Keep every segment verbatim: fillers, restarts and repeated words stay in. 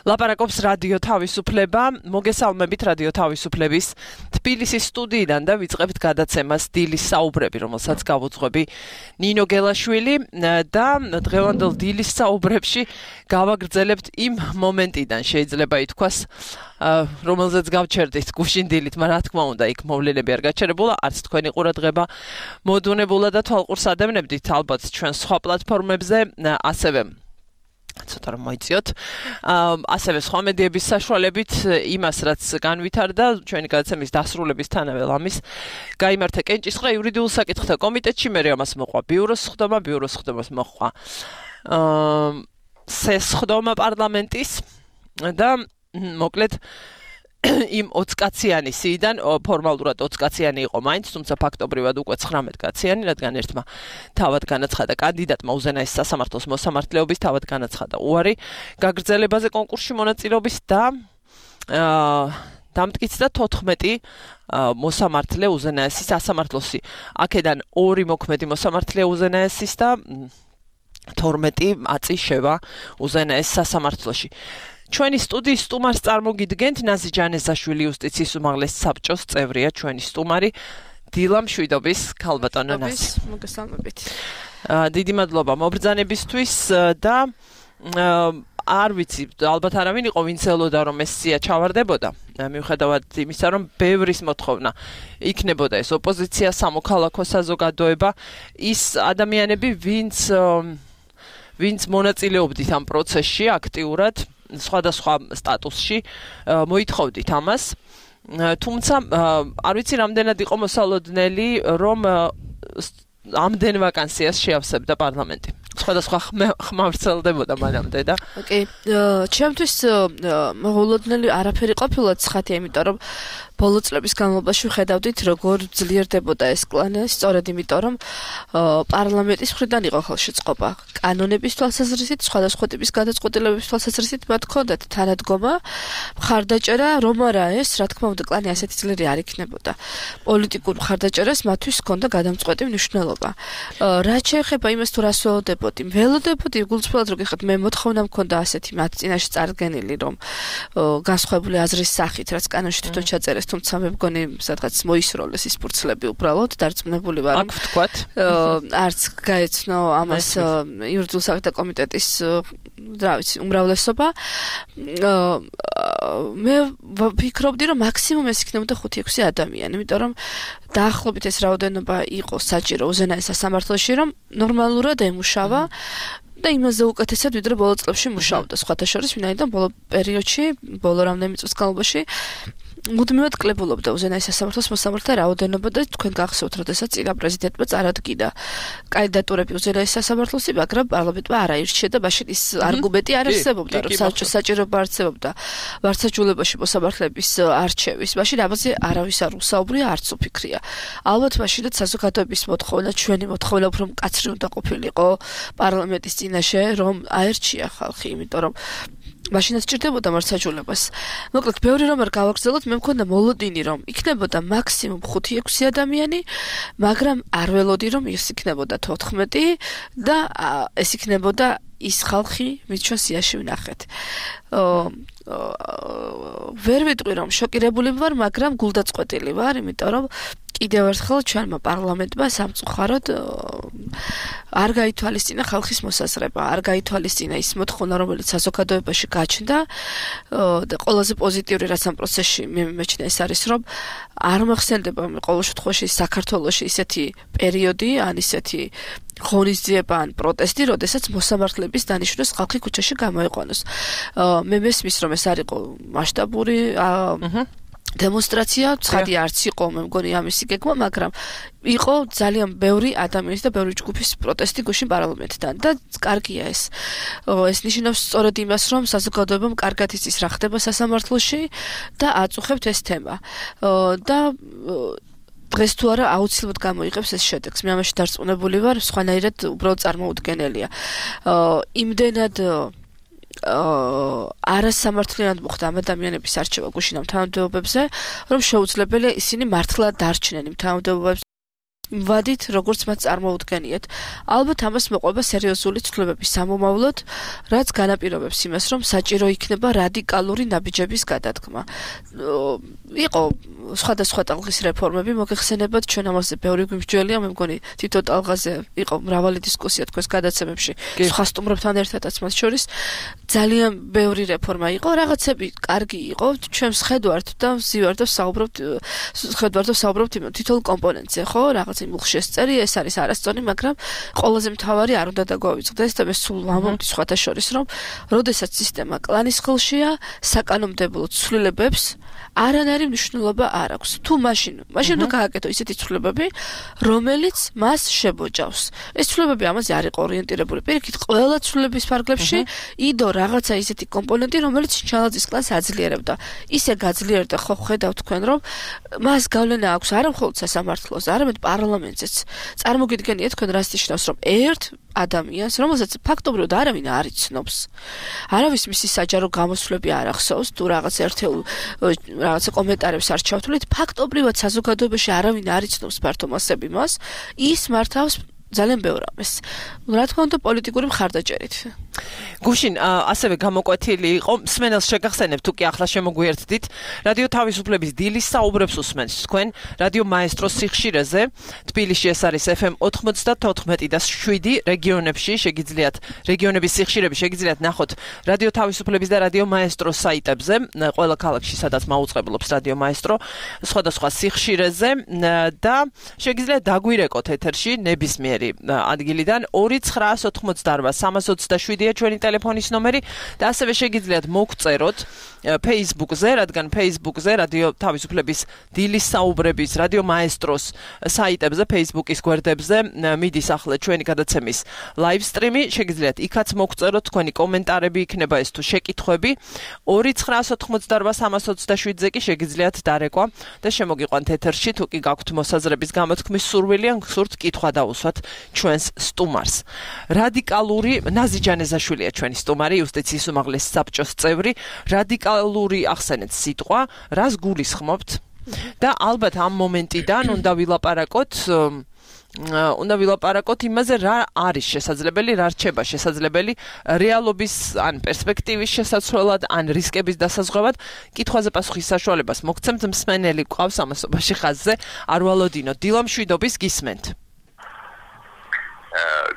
ლაპარაკობს რადიო თავისუფლება, მოგესალმებით რადიო თავისუფლების თბილისის სტუდიიდან და ვიწყებთ გადაცემას დილის საუბრები, რომელსაც გავუძღვები ნინო გელაშვილი და დღევანდელ დილის საუბრებში გავაგრძელებთ იმ მომენტიდან, შეიძლება ითქვას, რომელზეც გავჩერდით გუშინდილით, მაგრამ რა თქმა უნდა, იქ მოვლენები არ გაჩერებულა, არც თქვენი ყურადღება მოდუნებულა და თვალყურს ადევნებდით ალბათ ჩვენ სხვა პლატფორმებზე, ასევე ცოტა რომ მოიწიოთ. ასევე სხვა მედიების საშუალებით იმას, რაც განვითარდა ჩვენი გადაცემის დასრულებისთანავე ლამის გაიმართა კენჭისყრა იურიდიულ საკითხთა კომიტეტში, მე ამას მოყვა ბიუროს სხდომა, ბიუროს სხდომას მოყვა სესხდომა პარლამენტის და მოკლედ იმ ოცი კაციანი სიიდან ფორმალურად ოცი კაციანი იყო მაინც, თუმცა ფაქტობრივად უკვე ცხრამეტ კაციანი, რადგან ერთმა თავად განაცხადა კანდიდატმა უზენაეს სასამართლოს მოსამართლეობის თავად განაცხადა უარი გაგრძელებაზე კონკურსში მონაწილეობის და დამტკიცდა თოთხმეტი მოსამართლე უზენაესის სასამართლოსი. აქედან ორი მოქმედი მოსამართლე უზენაესის და თორმეტი აწი შევა უზენაეს სასამართლოში. ჩვენი სტუდიის სტუმარს წარმოგიდგენთ ნაზი ჯანეზაშვილი, იუსტიციის უმაღლეს საბჭოს წევრია ჩვენი სტუმარი დილა მშვიდობის ქალბატონო ნაზი. მოგესალმებით. დიდი მადლობა მობრძანებისთვის და არ ვიცი, ალბათ არავინ იყო ვინც ელოდა რომ ეს სია ჩავარდებოდა, მიუხედავად იმისა რომ ბევრის მოთხოვნა იქნებოდა ეს ოპოზიცია, სამოქალაქო საზოგადოება, ის ადამიანები ვინც ვინც მონაწილეობდით ამ პროცესში აქტიურად სხვადასხვა სტატუსში მოითხოვდით ამას, თუმცა არ ვიცი რამდენად იყო მოსალოდნელი რომ ამდენ ვაკანსიას შეავსებდა პარლამენტი. სხვადასხვა ხმავრცელდებოდა მანამდე და ოკეი, ჩემთვის მოულოდნელი არაფერი ყოფილა ცხადია, იმიტომ რომ ბოლო წლების განმავლობაში ვხედავდით როგორ ძლიერდებოდა ეს კლანი, სწორედ იმიტომ რომ პარლამენტის მხრიდან იყო ხელშეწყობა კანონების თვალსაზრისით, სხვადასხვა ტიპის გადაწყვეტილებების თვალსაზრისით მათ ჰქონდათ თანადგომა, მხარდაჭერა, რომ არა ეს, რა თქმა უნდა, კლანი ასეთი ძლიერი არ იქნებოდა. პოლიტიკურ მხარდაჭერას მათთვის ჰქონდა გადამწყვეტი მნიშვნელობა. რაც შეეხება იმას თუ რას ველოდებოდი, ველოდებოდი გულწრფელად რო გიხართ, მე მოთხოვნა მქონდა ასეთი მათ წინაშე წარდგენილი, რომ განსხვავებული აზრის სახით, რაც კანონში თვითონ ჩაწერეს, თუმცა მე მგონი სადღაც მოისროლეს ის ფურცლები უბრალოდ დარწმუნებული ვარ აქ ვთქვათ არც გაეცნო ამას იურიდიულ საკითხთა კომიტეტის რა ვიცი უმრავლესობა მე ვფიქრობდი რომ მაქსიმუმ ეს იქნებოდა ხუთი ექვსი ადამიანი, იმიტომ რომ დაახლოებით ეს რაოდენობა იყო საჭირო უზენაეს სასამართლოში, რომ ნორმალურად ემუშავა და იმაზე უკეთესად ვიდრე ბოლო წლებში მუშაობდა. სხვათა შორის, ვინაიდან ბოლო პერიოდში, ბოლო რამდენიმე წლის განმავლობაში მუდმივად კლებულობდა უზენაეს სასამართლოს მოსამართლე რაოდენობა და თქვენ გახსოვთ, როდესაც წინა პრეზიდენტმა წარადგინა კანდიდატურები უზენაეს სასამართლოსი, მაგრამ პარლამენტმა არ აირჩია და მაშინ ის არგუმენტი არ არსებობდა, რომ საჭირო საჭიროება არსებობდა ვარცხაჯულებაში მოსამართლეების არჩევის. მაშინ ამაზე არავის არ უსაუბრია, არც უფიქრია. ალბათ მაშინაც საზოგადოების მოთხოვნა, ჩვენი მოთხოვნა უფრო მკაცრი უნდა ყოფილიყო პარლამენტის წინაშე, რომ აერჩია ხალხი, იმიტომ რომ მაშინაც ჭირდებოდა მარცხაჯულებას. მოკლედ, ბევრი რომ არ გავაგრძელოთ, მე მქონდა მოლოდინი, რომ იქნებოდა მაქსიმუმ ხუთი ექვსი ადამიანი, მაგრამ არ ველოდი, რომ ის იქნებოდა თოთხმეტი და ეს იქნებოდა ის ხალხი, ვინც ჩვენ სიაში ვნახეთ. ვერ ვიტყვი, რომ შოკირებული ვარ, მაგრამ გულდაწყვეტილი ვარ, იმიტომ რომ კიდევ ერთხელ ჩვენმა პარლამენტმა სამწუხაროდ არ გაითვალისწინა ხალხის მოსაზრება, არ გაითვალისწინა ის მოთხოვნა, რომელიც საზოგადოებაში გაჩნდა და ყველაზე პოზიტიური რაც ამ პროცესში მე მიმეჩნია ის არის, რომ არ მახსენდება ყოველ შემთხვევაში საქართველოში ისეთი პერიოდი, ან ისეთი ღონისძიება ან პროტესტი, როდესაც მოსამართლეების დანიშვნას ხალხი ქუჩაში გამოიყვანოს. მე მესმის, რომ ეს არ იყო მასშტაბური დემონსტრაცია, ცხადი არც იყო, მე მგონი ამისი გეგმა, მაგრამ იყო ძალიან ბევრი ადამიანის და ბევრი ჯგუფის პროტესტი გუშინ პარლამენტთან და კარგია ეს. ეს ნიშნავს სწორედ იმას, რომ საზოგადოებამ კარგად იცის რა ხდება სასამართლოში და აწუხებთ ეს თემა. და დღეს თუ არა აუცილებლად გამოიღებს ეს შედეგს. მე ამაში დარწმუნებული ვარ, სხვანაირად უბრალოდ წარმოუდგენელია. იმდენად არასამართლიანად მოხდა ამ ადამიანების არჩევა გუშინ ამ თანამდებობებზე, რომ შეუძლებელია ისინი მართლა დარჩნენ იმ თანამდებობებზე ვადით, როგორც მათ წარმოუდგენიათ. ალბათ ამას მოყვება სერიოზული ცვლილებების სამომავლოდ, რაც განაპირობებს იმას, რომ საჭირო იქნება რადიკალური ნაბიჯების გადადგმა. იყო სხვადასხვა ტალღის რეფორმები, მოგეხსენებათ, ჩვენ ამაზე ბევრი გვიმსჯელია, მე მგონი თითო ტალღაზე იყო მრავალი დისკუსია თქვენს გადაცემებში, სხვა სტუმრებთან ერთადაც მათ შორის ძალიან ბევრი რეფორმა იყო, რაღაცები კარგი იყო, ჩვენ ვხედავთ და ვზივართ და ვსაუბრობთ, ვხედავთ და ვსაუბრობთ იმ თითოეულ კომპონენტზე, ხო, რაღაც იმულში წერი, ეს არის არასწორი, მაგრამ ყველაზე მთავარი არ უნდა დაგვავიწყდეს და მე სულ ვამბობთ სხვათა შორის, რომ როდესაც სისტემა კლანის ხელშია, საკანონმდებლო ცვლილებებს არანაირი მნიშვნელობა არ აქვს. თუ მაშინ, მაშინ უნდა გააკეთო ისეთი ცვლილებები, რომელიც მას შებოჭავს. ეს ცვლილებები ამაზე არ იყო ორიენტირებული. პირიქით, ყველა ცვლილების ფარგლებში იდო რაღაცა ისეთი კომპონენტი, რომელიც ჩალაძის კლანს აძლიერებდა. ისე გაძლიერდა, ხო ხედავთ თქვენ, რომ მას გავლენა აქვს არა მხოლოდ სასამართლოზე, არამედ პარლამენტზეც. წარმოგიდგენიათ თქვენ რას ნიშნავს, რომ ერთ ადამიანს, რომელსაც ფაქტობრივად არავინ არ იცნობს. არავის მისი საჯარო გამოსვლები არ ახსოვს, თუ რაღაც ერთეულ რაღაცა კომენტარებს არ ჩავთვლით, ფაქტობრივად საზოგადოებაში არავინ არ იცნობს ფართო მასები მას, ის მართავს ძალიან ბევრ ამას. რა თქმა უნდა, პოლიტიკური მხარდაჭერით. გუშინ ასევე გამოკვეთილი იყო, მსმენელს შეგახსენებ, თუ კი ახლა შემოგვიერთდით, რადიო თავისუფლების დილის საუბრებს უსმენთ თქვენ, რადიო მაესტროს სიხშირეზე, თბილისში ეს არის ეფ ემ ოთხმოცდათოთხმეტი და შვიდი, რეგიონებში შეგიძლიათ, რეგიონების სიხშირები შეგიძლიათ ნახოთ რადიო თავისუფლების და რადიო მაესტროს საიტებზე, ყველა ქალაქში სადაც მაუწყებლობს რადიო მაესტრო, სხვადასხვა სიხშირეზე და შეგიძლიათ დაგვირეკოთ ეთერში ნებისმიერი ადგილიდან ორი ცხრაას ოთხმოცდაარბა სამას ოცდაშვიდია ჩვენი ტელეფონის ნომერი და ასევე შეგიძლიათ მოგწეროთ Facebook-ზე, რადგან Facebook-ზე რადიო თავისუფლების დილის საუბრების, რადიო მაესტროს საიტებზე, Facebook-ის გვერდებზე მიდის ახლა ჩვენი გადაცემის live stream-ი, შეგიძლიათ იქაც მოგწეროთ თქვენი კომენტარები, იქნება ეს თუ შეკითხვები. ორი ცხრაას ოთხმოცდაარბა სამას ოცდაშვიდზე კი შეგიძლიათ დარეკვა და შემოგიყვანთ ეთერში, თუ კი გაქვთ მოსაზრების გამოთქმის სურვილი ან გსურთ კითხვა დაუსვათ ჩვენს სტუმარს. რადიკალური ნაზი ჯანეზაშვილია ჩვენი სტუმარი, იუსტიციის უმაღლესი საბჭოს წევრი, რადიკალური ახსენეთ სიტყვა, რას გულისხმობთ და ალბათ ამ მომენტიდან უნდა ვილაპარაკოთ უნდა ვილაპარაკოთ იმაზე, რა არის შესაძლებელი, რა რჩება შესაძლებელი რეალობის ან პერსპექტივის შესაცვლელად, ან რისკების დასაზღვევად. კითხვაზე პასუხის საშუალებას მოგცემთ, მსმენელი გვყავს ამასობაში ხაზზე, არ ვალოდინო. დილა მშვიდობის, გისმენთ.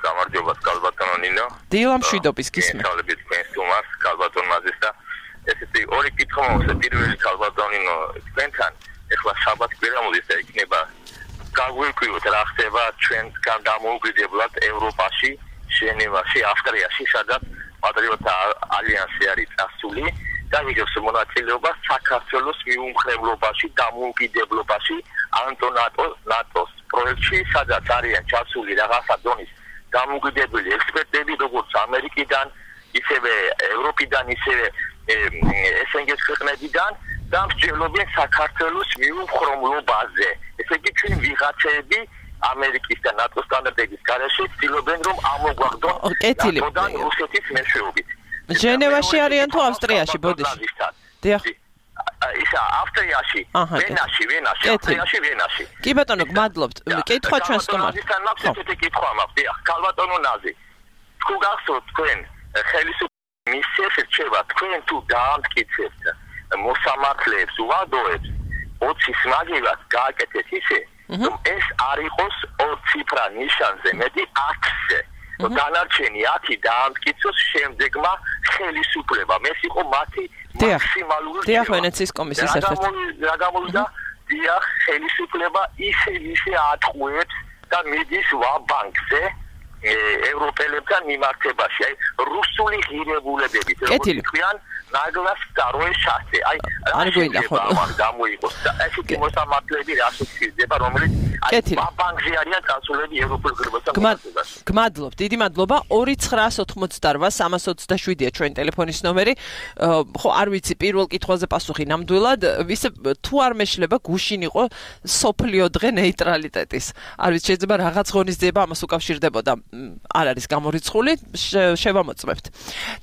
გამარჯობა, კალბატონო ნინო. დილა მშვიდობის, გისმენთ. გესალმებით თქვენ სტუმარს, კალბატონ მაზეს და ესეთი ორი კითხვა მოხდა. პირველი კალბატონინო, თქვენთან ეხლა შაბათ კვირა მოდის და იქნება გაგვიკვიროთ რა ხდება ჩვენგან დამოუკიდებლად ევროპაში, ჟენევაში, ავსტრიაში, სადაც პატრიოტთა ალიანსი არის წასული და იღებს მონაწილეობას საქართველოს მიუმხრებლობაში, დამოუკიდებლობაში, ანტონატო ნატოს პროექტში, სადაც არიან ჩასული რაღაცა დონის დამოუკიდებელი ექსპერტები, როგორც ამერიკიდან, ისევე ევროპიდან, ისევე ეს ენ გი-ს ქვეყნებიდან და მსჯელობენ საქართველოს მიუმხრობლობაზე. ესე იგი, ჩვენ ვიღაცები ამერიკის და ნატოს სტანდარტების გარეშე ცდილობენ, რომ ამოგვაგდონ ნატოდან რუსეთის მეშვეობით. ჟენევაში არიან თუ ავსტრიაში, ბოდიში? დიახ. ისა ავსტრიაში, ვენაში, ვენაში, ავსტრიაში, ვენაში. კი ბატონო, გმადლობთ. კითხვა ჩვენ სტუმარს. ნაზისთან მაქვს ესეთი კითხვა მაქვს. დიახ, კალბატონო ნაზი. თუ გახსოვთ თქვენ ხელისუფლების მისიას რჩება, თქვენ თუ დაამტკიცებთ მოსამართლეებს, უვადოებს, ოცის მაგივრად გააკეთეთ ისე, რომ ეს არ იყოს ორ ციფრა ნიშანზე, მეტი ათზე. დანარჩენი ათი დაამტკიცოს შემდეგმა ხელისუფლებამ. ეს იყო მათი მაქსიმალური დიახ, ვენეციის კომისიის ერთ-ერთი. რა გამოვიდა? დიახ, ხელისუფლება ისე ისე ატყუებს და მიდის ვა-ბანკზე ევროპელებთან მიმართებაში. აი, რუსული ღირებულებებით, როგორც თქვენ, ნაგლას ვторое შანსი. აი, არ გვინდა ხო? გამოიყოს და ესეთი მოსამართლეები რა შეგვიძლია, რომელიც აი ვა-ბანკზე არიან წასულები ევროპულ ღირებულებასთან მიმართებაში. გმადლობთ, დიდი მადლობა. ორი ცხრაას ოთხმოცდაარბა სამას ოცდაშვიდია ჩვენი ტელეფონის ნომერი. ხო, არ ვიცი პირველ კითხვაზე პასუხი ნამდვილად, ისე თუ არ მეშლება გუშინ იყო სოფლიო დღე ნეიტრალიტეტის. არ ვიცი, შეიძლება რაღაც ღონისძიება ამას უკავშირდებოდა. არ არის გამორიცხული, შევამოწმებთ.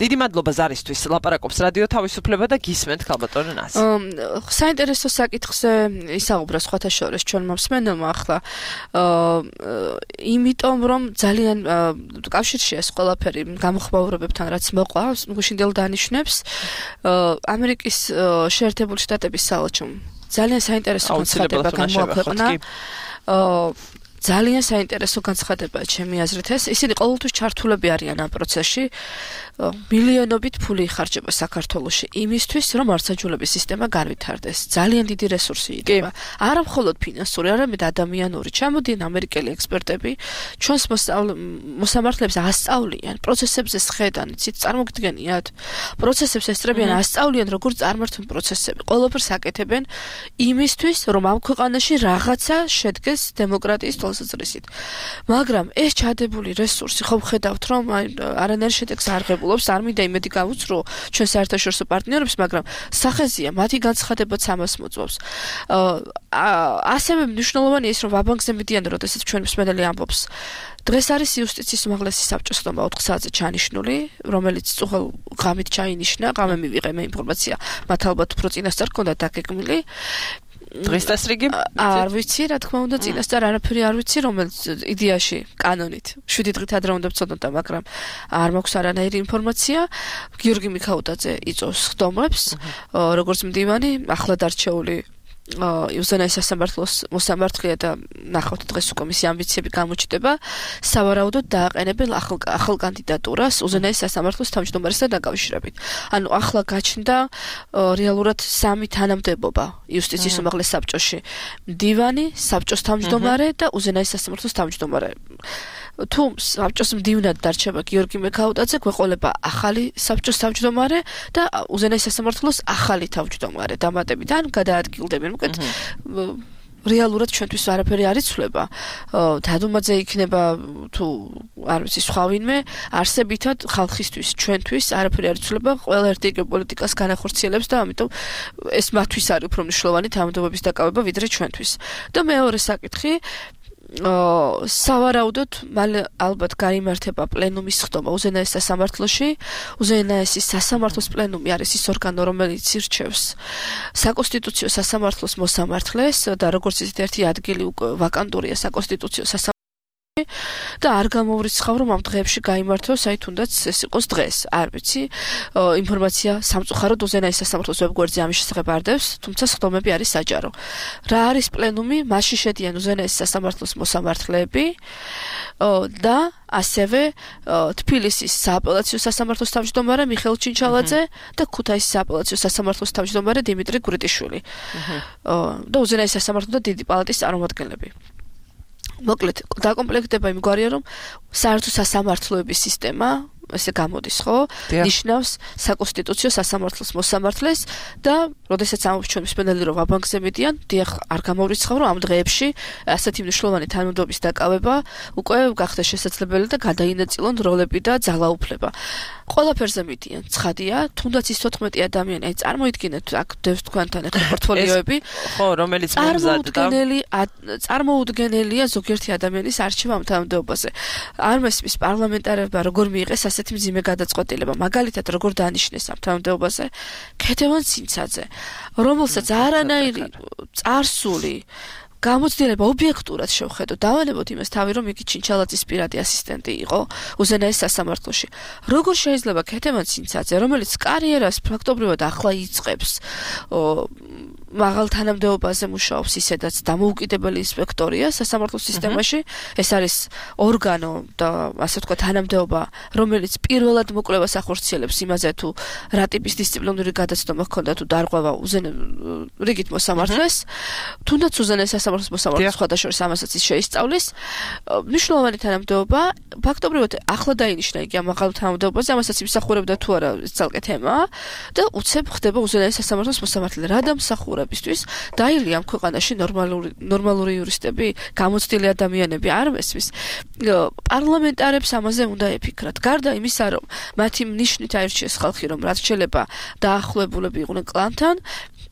დიდი მადლობა ზარისთვის. ლაპარაკობს რადიო თავისუფლება და გისმენთ ქალბატონ ნასი. საინტერესო საკითხზე ისაუბრა სხვათა შორის ჩვენმა მსმენელმა ახლა. იმიტომ რომ ძალიან კავშირში ეს ყველაფერი გამოხმაურებებთან რაც მოყვა, გუშინდელ დანიშნებს ამერიკის შეერთებული შტატების საელჩომ ძალიან საინტერესო განცხადება გამოაქვეყნა. ძალიან საინტერესო განცხადებაა ჩემი აზრით ეს. ისინი ყოველთვის ჩართულები არიან ამ პროცესში. მილიონობით ფული იხარჯება საქართველოში იმისთვის, რომ მართლმსაჯულების სისტემა განვითარდეს. ძალიან დიდი რესურსი იდება. არა მხოლოდ ფინანსური, არამედ ადამიანური. ჩამოდიან ამერიკელი ექსპერტები, ჩვენს მოსამართლეებს ასწავლიან, პროცესებზე სხედან, იცით, წარმოგიდგენიათ? პროცესებს ესწრებიან, ასწავლიან, როგორ წარმართούν პროცესები. ყველაფერს აკეთებენ იმისთვის, რომ ამ ქვეყანაში რაღაცა შედგეს დემოკრატიის თვალსაზრისით. მაგრამ ეს ჩადებული რესურსი ხომ ხედავთ, რომ არანაირ შედეგს არ ღებულობს, არ მინდა იმედი გავუცრო ჩვენ საერთაშორისო პარტნიორებს, მაგრამ სახეზია, მათი განცხადებაც ამას მოწვევს. ასევე მნიშვნელოვანია ის, რომ ვაბანკზე მიდიან, როდესაც ჩვენ მსმენელი ამბობს. დღეს არის იუსტიციის უმაღლესი საბჭოს ხდომა ოთხ საათზე ჩანიშნული, რომელიც წუხელ ღამით ჩაინიშნა, ღამე მივიღე მე ინფორმაცია, მათ ალბათ უფრო წინასწარ ჰქონდათ დაგეგმილი. დღეს დასრიგი? არ ვიცი, რა თქმა უნდა, წინასწარ არაფერი არ ვიცი, რომელიც იდეაში, კანონით, შვიდი დღით ადრე უნდა ვწოდოთ, მაგრამ არ მაქვს არანაირი ინფორმაცია. გიორგი მიქაუტაძე იწვევს ხდომებს, როგორც მდივანი, ახლად არჩეული უზენაეს სასამართლოს მოსამართლეა და ნახავთ დღეს უკვე მისი ამბიციები გამოჩნდება, სავარაუდოდ დააყენებენ ახალ ახალ კანდიდატურას უზენაეს სასამართლოს თავმჯდომარესთან დაკავშირებით. ანუ ახლა გაჩნდა რეალურად სამი თანამდებობა იუსტიციის უმაღლეს საბჭოში. მდივანი, საბჭოს თავმჯდომარე და უზენაეს სასამართლოს თავმჯდომარე. თუ საბჭოს მდივნად დარჩება გიორგი მიქაუტაძე, გვეყოლება ახალი საბჭოს თავმჯდომარე და უზენაეს სასამართლოს ახალი თავმჯდომარე დამატებიდან გადაადგილდებიან. უკეთ რეალურად ჩვენთვის არაფერი არ იცვლება. დადუმაძე იქნება თუ არ ვიცი სხვა ვინმე, არსებითად ხალხისთვის, ჩვენთვის არაფერი არ იცვლება. ყველა ერთი პოლიტიკას განახორციელებს და ამიტომ ეს მათთვის არის უფრო მნიშვნელოვანი თანამდებობის დაკავება ვიდრე ჩვენთვის. და მეორე საკითხი სავარაუდოდ მალე ალბათ გაიმართება პლენუმის ხდომა უზენაეს სასამართლოში. უზენაესის სასამართლოს პლენუმი არის ის ორგანო, რომელიც ირჩევს საკონსტიტუციო სასამართლოს მოსამართლეს და როგორც ისეთ ერთი ადგილი უკვე ვაკანტურია საკონსტიტუციო სასამართლოში და არ გამოვრიცხავ რომ ამ დღეებში გაიმართოს, აი თუნდაც ეს იყოს დღეს, არ ვიცი. ინფორმაცია სამწუხაროდ უზენაეს სასამართლოს ვებგვერდზე ამის შესახებ არ დევს, თუმცა სხდომები არის საჯარო. რა არის პლენუმი? მასში შედიან უზენაეს სასამართლოს მოსამართლეები და ასევე თბილისის სააპელაციო სასამართლოს თავმჯდომარე მიხეილ ჩინჩალაძე და ქუთაისის სააპელაციო სასამართლოს თავმჯდომარე დიმიტრი გურიტიშვილი და უზენაეს სასამართლო და დიდი პალატის წარმომადგენლები. მოკლედ, დაკომპლექტება იმგვარია, რომ საერთო სასამართლოების სისტემა ესე გამოდის, ხო? ნიშნავს საკონსტიტუციო სასამართლოს მოსამართლეს და როდესაც ამბობს ჩვენ მსმენელი რომ ვაბანკზე მიდიან, დიახ, არ გამოვრიცხავ რომ ამ დღეებში ასეთი მნიშვნელოვანი თანამდებობის დაკავება უკვე გახდა შესაძლებელი და გადაინაწილონ როლები და ძალაუფლება. ყველაფერზე მიდიან, ცხადია, თუნდაც ის თოთხმეტი ადამიანი, აი წარმოიდგინეთ, აქ დევს თქვენთან ახლა პორტფოლიოები, ხო, რომელიც მომზადდა. წარმოუდგენელია ზოგიერთი ადამიანის არჩევა ამ თანამდებობაზე. არ მესმის პარლამენტარებმა როგორ მიიღეს ასეთი მძიმე გადაწყვეტილება, მაგალითად როგორ დანიშნეს ამ თანამდებობაზე ქეთევან ცინცაძე, რომელსაც არანაირი წარსული გამოცდილება ობიექტურად შევხედოთ, დავალებოთ იმას თავი, რომ იგი ჩინჩალაძის პირადი ასისტენტი იყო უზენაეს სასამართლოში. როგორ შეიძლება ქეთევან ცინცაძე, რომელიც კარიერას ფაქტობრივად ახლა იწყებს, მაღალ თანამდებობაზე მუშაობს, ისედაც დამოუკიდებელი ინსპექტორია სასამართლო სისტემაში, ეს არის ორგანო და ასე ვთქვათ თანამდებობა, რომელიც პირველად მოკვლევას ახორციელებს იმაზე თუ რა ტიპის დისციპლინური გადაცდომა ჰქონდა თუ დარღვევა რიგით მოსამართლეს, თუნდაც უზენაეს სასამართლოს მოსამართლეს სხვადასხვა ამასაც ის შეისწავლის. მნიშვნელოვანი თანამდებობა, ფაქტობრივად ახლა დაინიშნა იგი ამ მაღალ თანამდებობაზე, ამასაც იმსახურებდა თუ არა ძალკე თემაა და უცებ ხდება უზენაეს სასამართლოს მოსამართლე. რა დამსახურებისთვის დაილი ამ ქვეყანაში ნორმალური ნორმალური იურისტები, გამოცდილი ადამიანები არ მესმის. პარლამენტარებს ამაზე უნდა ეფიქრათ. გარდა იმისა, რომ მათი ნიშნით აირჩიეს ხალხი, რომ რაც შეიძლება დაახლოებულები იყვნენ კლანთან,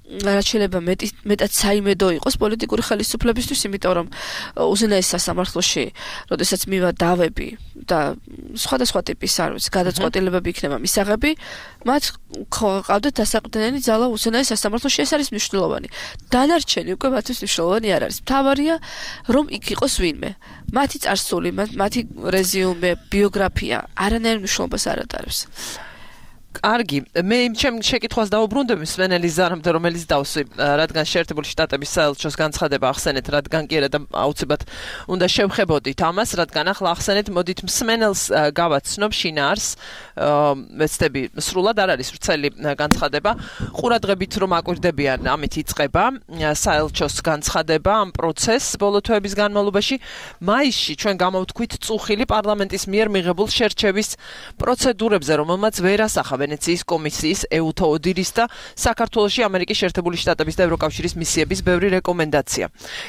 რაც შეიძლება მეტი მეტად საიმედო იყოს პოლიტიკური ხელისუფლებისთვის, იმიტომ რომ უზენაეს სასამართლოში, როდესაც მივა დავები და სხვადასხვა ტიპის არ ვიცი, გადაწყვეტილებები იქნება მისაღები, მათ ყავდათ დასაყრდენელი ძალა უზენაეს სასამართლოში, ეს არის მნიშვნელოვანი. დანარჩენი უკვე მათთვის მნიშვნელოვანი არ არის. მთავარია, რომ იქ იყოს ვინმე. მათი წარსული, მათი რეზიუმე, ბიოგრაფია არანაირ მნიშვნელობას არ ატარებს. კარგი, მე იმ ჩემ შეკითხვას დავუბრუნდები სვენელის ზარამდე, რომელიც დავსვი, რადგან შეერთებული შტატების საელჩოს განცხადება ახსენეთ, რადგან კი არა და აუცილებლად უნდა შევხებოდით ამას, რადგან ახლა ახსენეთ, მოდით მსმენელს გავაცნობ შინაარს, მეცდები სრულად არ არის ვრცელი განცხადება, ყურადღებით რომ აკვირდებიან, ამით იწყება საელჩოს განცხადება ამ პროცესს ბოლო თვეების განმავლობაში, მაისში ჩვენ გამოვთქვით წუხილი პარლამენტის მიერ მიღებულ შერჩევის პროცედურებზე, რომელმაც ვერ ასახა ვენეციის კომისიის, ეუთო ოდირის და საქართველოში ამერიკის შეერთებული შტატების და ევროკავშირის მისიების ბევრი რეკომენდაცია.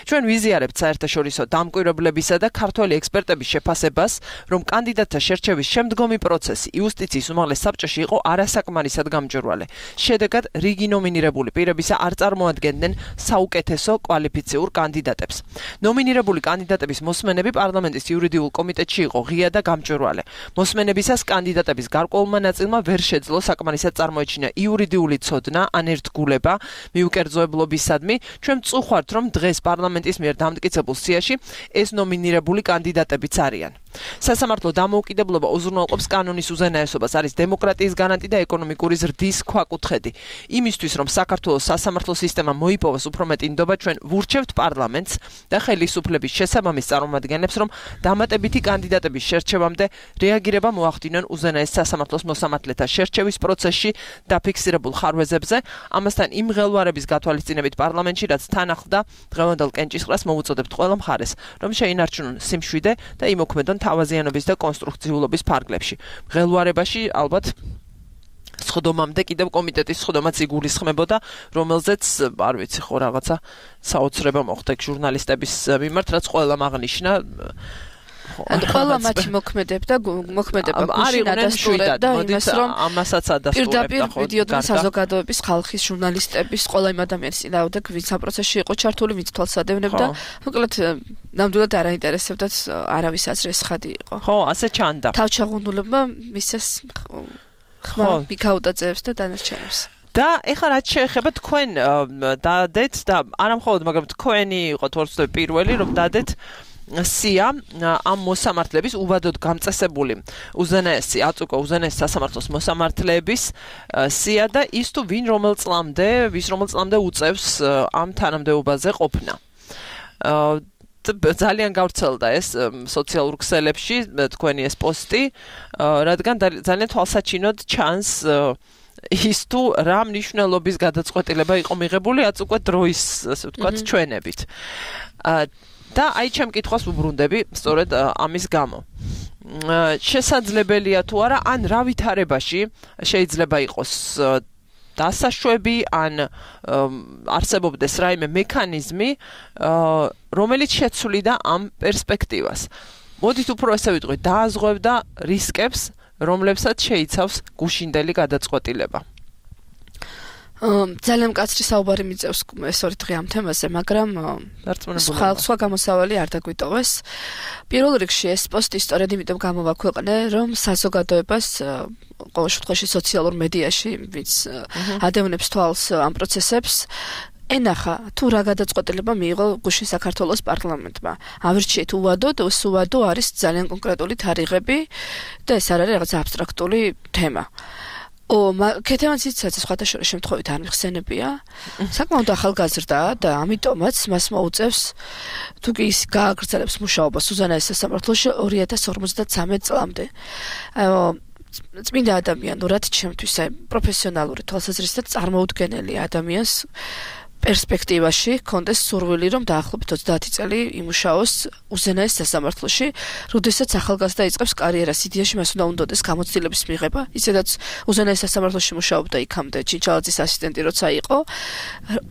ჩვენ ვიზიარებთ საერთაშორისო დამკვირვებლებისა და ქართველი ექსპერტების შეფასებას, რომ კანდიდატთა შერჩევის შემდგომი პროცესი იუსტიციის უმაღლეს საბჭოში იყო არასაკმარისად გამჭვირვალე. შედეგად რიგი ნომინირებული პირებისა არ წარმოადგენდნენ საუკეთესო კვალიფიციურ კანდიდატებს. ნომინირებული კანდიდატების მოსმენები პარლამენტის იურიდიულ კომიტეტში იყო ღია და გამჭვირვალე. მოსმენებისას კანდიდატების გარკვეულმა ნაწილმა ვერ შეძლო საკმარისად წარმოეჩინა იურიდიული ცოდნა ან ერთგულება მიუკერძოებლობისადმი. ჩვენ წუხართ, რომ დღეს პარლამენტის მიერ დამტკიცებულ სიაში ეს ნომინირებული კანდიდატებიც არიან. სასამართლო დამოუკიდებლობა უზრუნველყოფს კანონის უზენაესობას, არის დემოკრატიის გარანტი და ეკონომიკური ზრდის ქვაკუთხედი. იმისთვის, რომ საქართველოს სასამართლო სისტემა მოიპოვოს უფრო მეტი ნდობა, ჩვენ ვურჩევთ პარლამენტს და ხელისუფლების შესაბამის წარმომადგენლებს, რომ დამატებითი კანდიდატების შერჩევამდე რეაგირება მოახდინონ უზენაეს სასამართლოს მოსამართლეთა შერჩევის პროცესში დაფიქსირებულ ხარვეზებზე, ამასთან იმ ღელვარების გათვალისწინებით პარლამენტში, რაც თან ახლდა დღევანდელ კენჭისყრას მოვუწოდებთ ყველა მხარეს, რომ შეინარჩუნონ სიმშვიდე და იმოქმედონ თავაზიანობის და კონსტრუქციულობის ფარგლებში. ღელვარებაში ალბათ სხდომამდე კიდევ კომიტეტის სხდომაც იგულისხმებოდა, რომელზეც არ ვიცი ხო რაღაცა საოცრება მოხდა ჟურნალისტების მიმართ, რაც ყველამ აღნიშნა. ან ყველა მათი მოქმედებდა მოქმედება გუშინ ადასტურებდა იმას, რომ ამასაც ადასტურებდა პირდაპირ მიდიოდნენ საზოგადოების, ხალხის, ჟურნალისტების, ყველა იმ ადამიანის წინააღმდეგ, ვინც ამ პროცესში იყო ჩართული, ვინც თვალსადევნებდა. მოკლედ ნამდვილად არ აინტერესებდათ არავის აზრის ხადი იყო. ხო, ასე ჩანდა. თავჩაღუნულებმა მისცეს ხმა მიქაუტაძეებს და დანარჩენებს. და ეხლა რაც შეეხება თქვენ დადეთ და არა მხოლოდ, მაგრამ თქვენი იყოთ ვარცდები პირველი, რომ დადეთ სია ამ მოსამართლების უბადოდ გამწესებული უზენაესი აწუկო უზენაეს სასამართლოს მოსამართლეების სია და ის თუ ვინ რომელ წლამდე ვის რომელ წლამდე უწევს ამ თანამდებობაზე ყოფნა. ძალიან გავრცელდა ეს სოციალურ ქსელებში თქვენი ეს პოსტი, რადგან ძალიან თვალსაჩინოდ ჩანს ის თუ რა მნიშვნელობის გადაწყვეტილება იყო მიღებული აწუկო დროის, ასე ვთქვათ, ჩვენებით. და აი ჩემ კითხვას ვუბრუნდები სწორედ ამის გამო. შესაძლებელია თუ არა, ან რა ვითარებაში შეიძლება იყოს დასაშვები, ან არსებობდეს რაიმე მექანიზმი, რომელიც შეცვლიდა ამ პერსპექტივას. მოდით უფრო ესე ვიტყვი, დააზღვევდა რისკებს, რომლებსაც შეიცავს გუშინდელი გადაწყვეტილება. ძალიან მკაცრი საუბარი მიწევს ეს ორი დღე ამ თემაზე, მაგრამ სხვა სხვა გამოსავალი არ დაგვიტოვეს. პირველ რიგში ეს პოსტი სწორედ იმიტომ გამოვაქვეყნე, რომ საზოგადოებას ყოველ შემთხვევაში სოციალურ მედიაში, ვინც ადევნებს თვალს ამ პროცესებს, ენახა თუ რა გადაწყვეტილება მიიღო გუშინ საქართველოს პარლამენტმა. ავირჩიეთ უვადოდ, ეს უვადო არის ძალიან კონკრეტული თარიღები და ეს არ არის რაღაც აბსტრაქტული თემა. ო, კეთემაციცაც სხვათა შორის შემთხვევით არ მიხსენებია. საკმაოდ ახალგაზრდაა და ამიტომაც მას მოუწევს თუ კი ის გააგრძელებს მუშაობას უზენაეს სასამართლოში ორი ათას ორმოცდათვრამეტ წლამდე. წმინდა ადამიანურად ჩემთვის აი პროფესიონალური თვალსაზრისით წარმოუდგენელი ადამიანს პერსპექტივაში კონდეს სურვილი, რომ დაახლოებით ოცდაათი წელი იმუშაოს უზენაეს სასამართლოში, როდესაც ახალგაზრდა იწყებს კარიერას, იდეაში მას უნდა უნდოდეს გამოცდილების მიღება, ისედაც უზენაეს სასამართლოში მუშაობდა იქამდე ჩიჩალაძის ასისტენტი როცა იყო,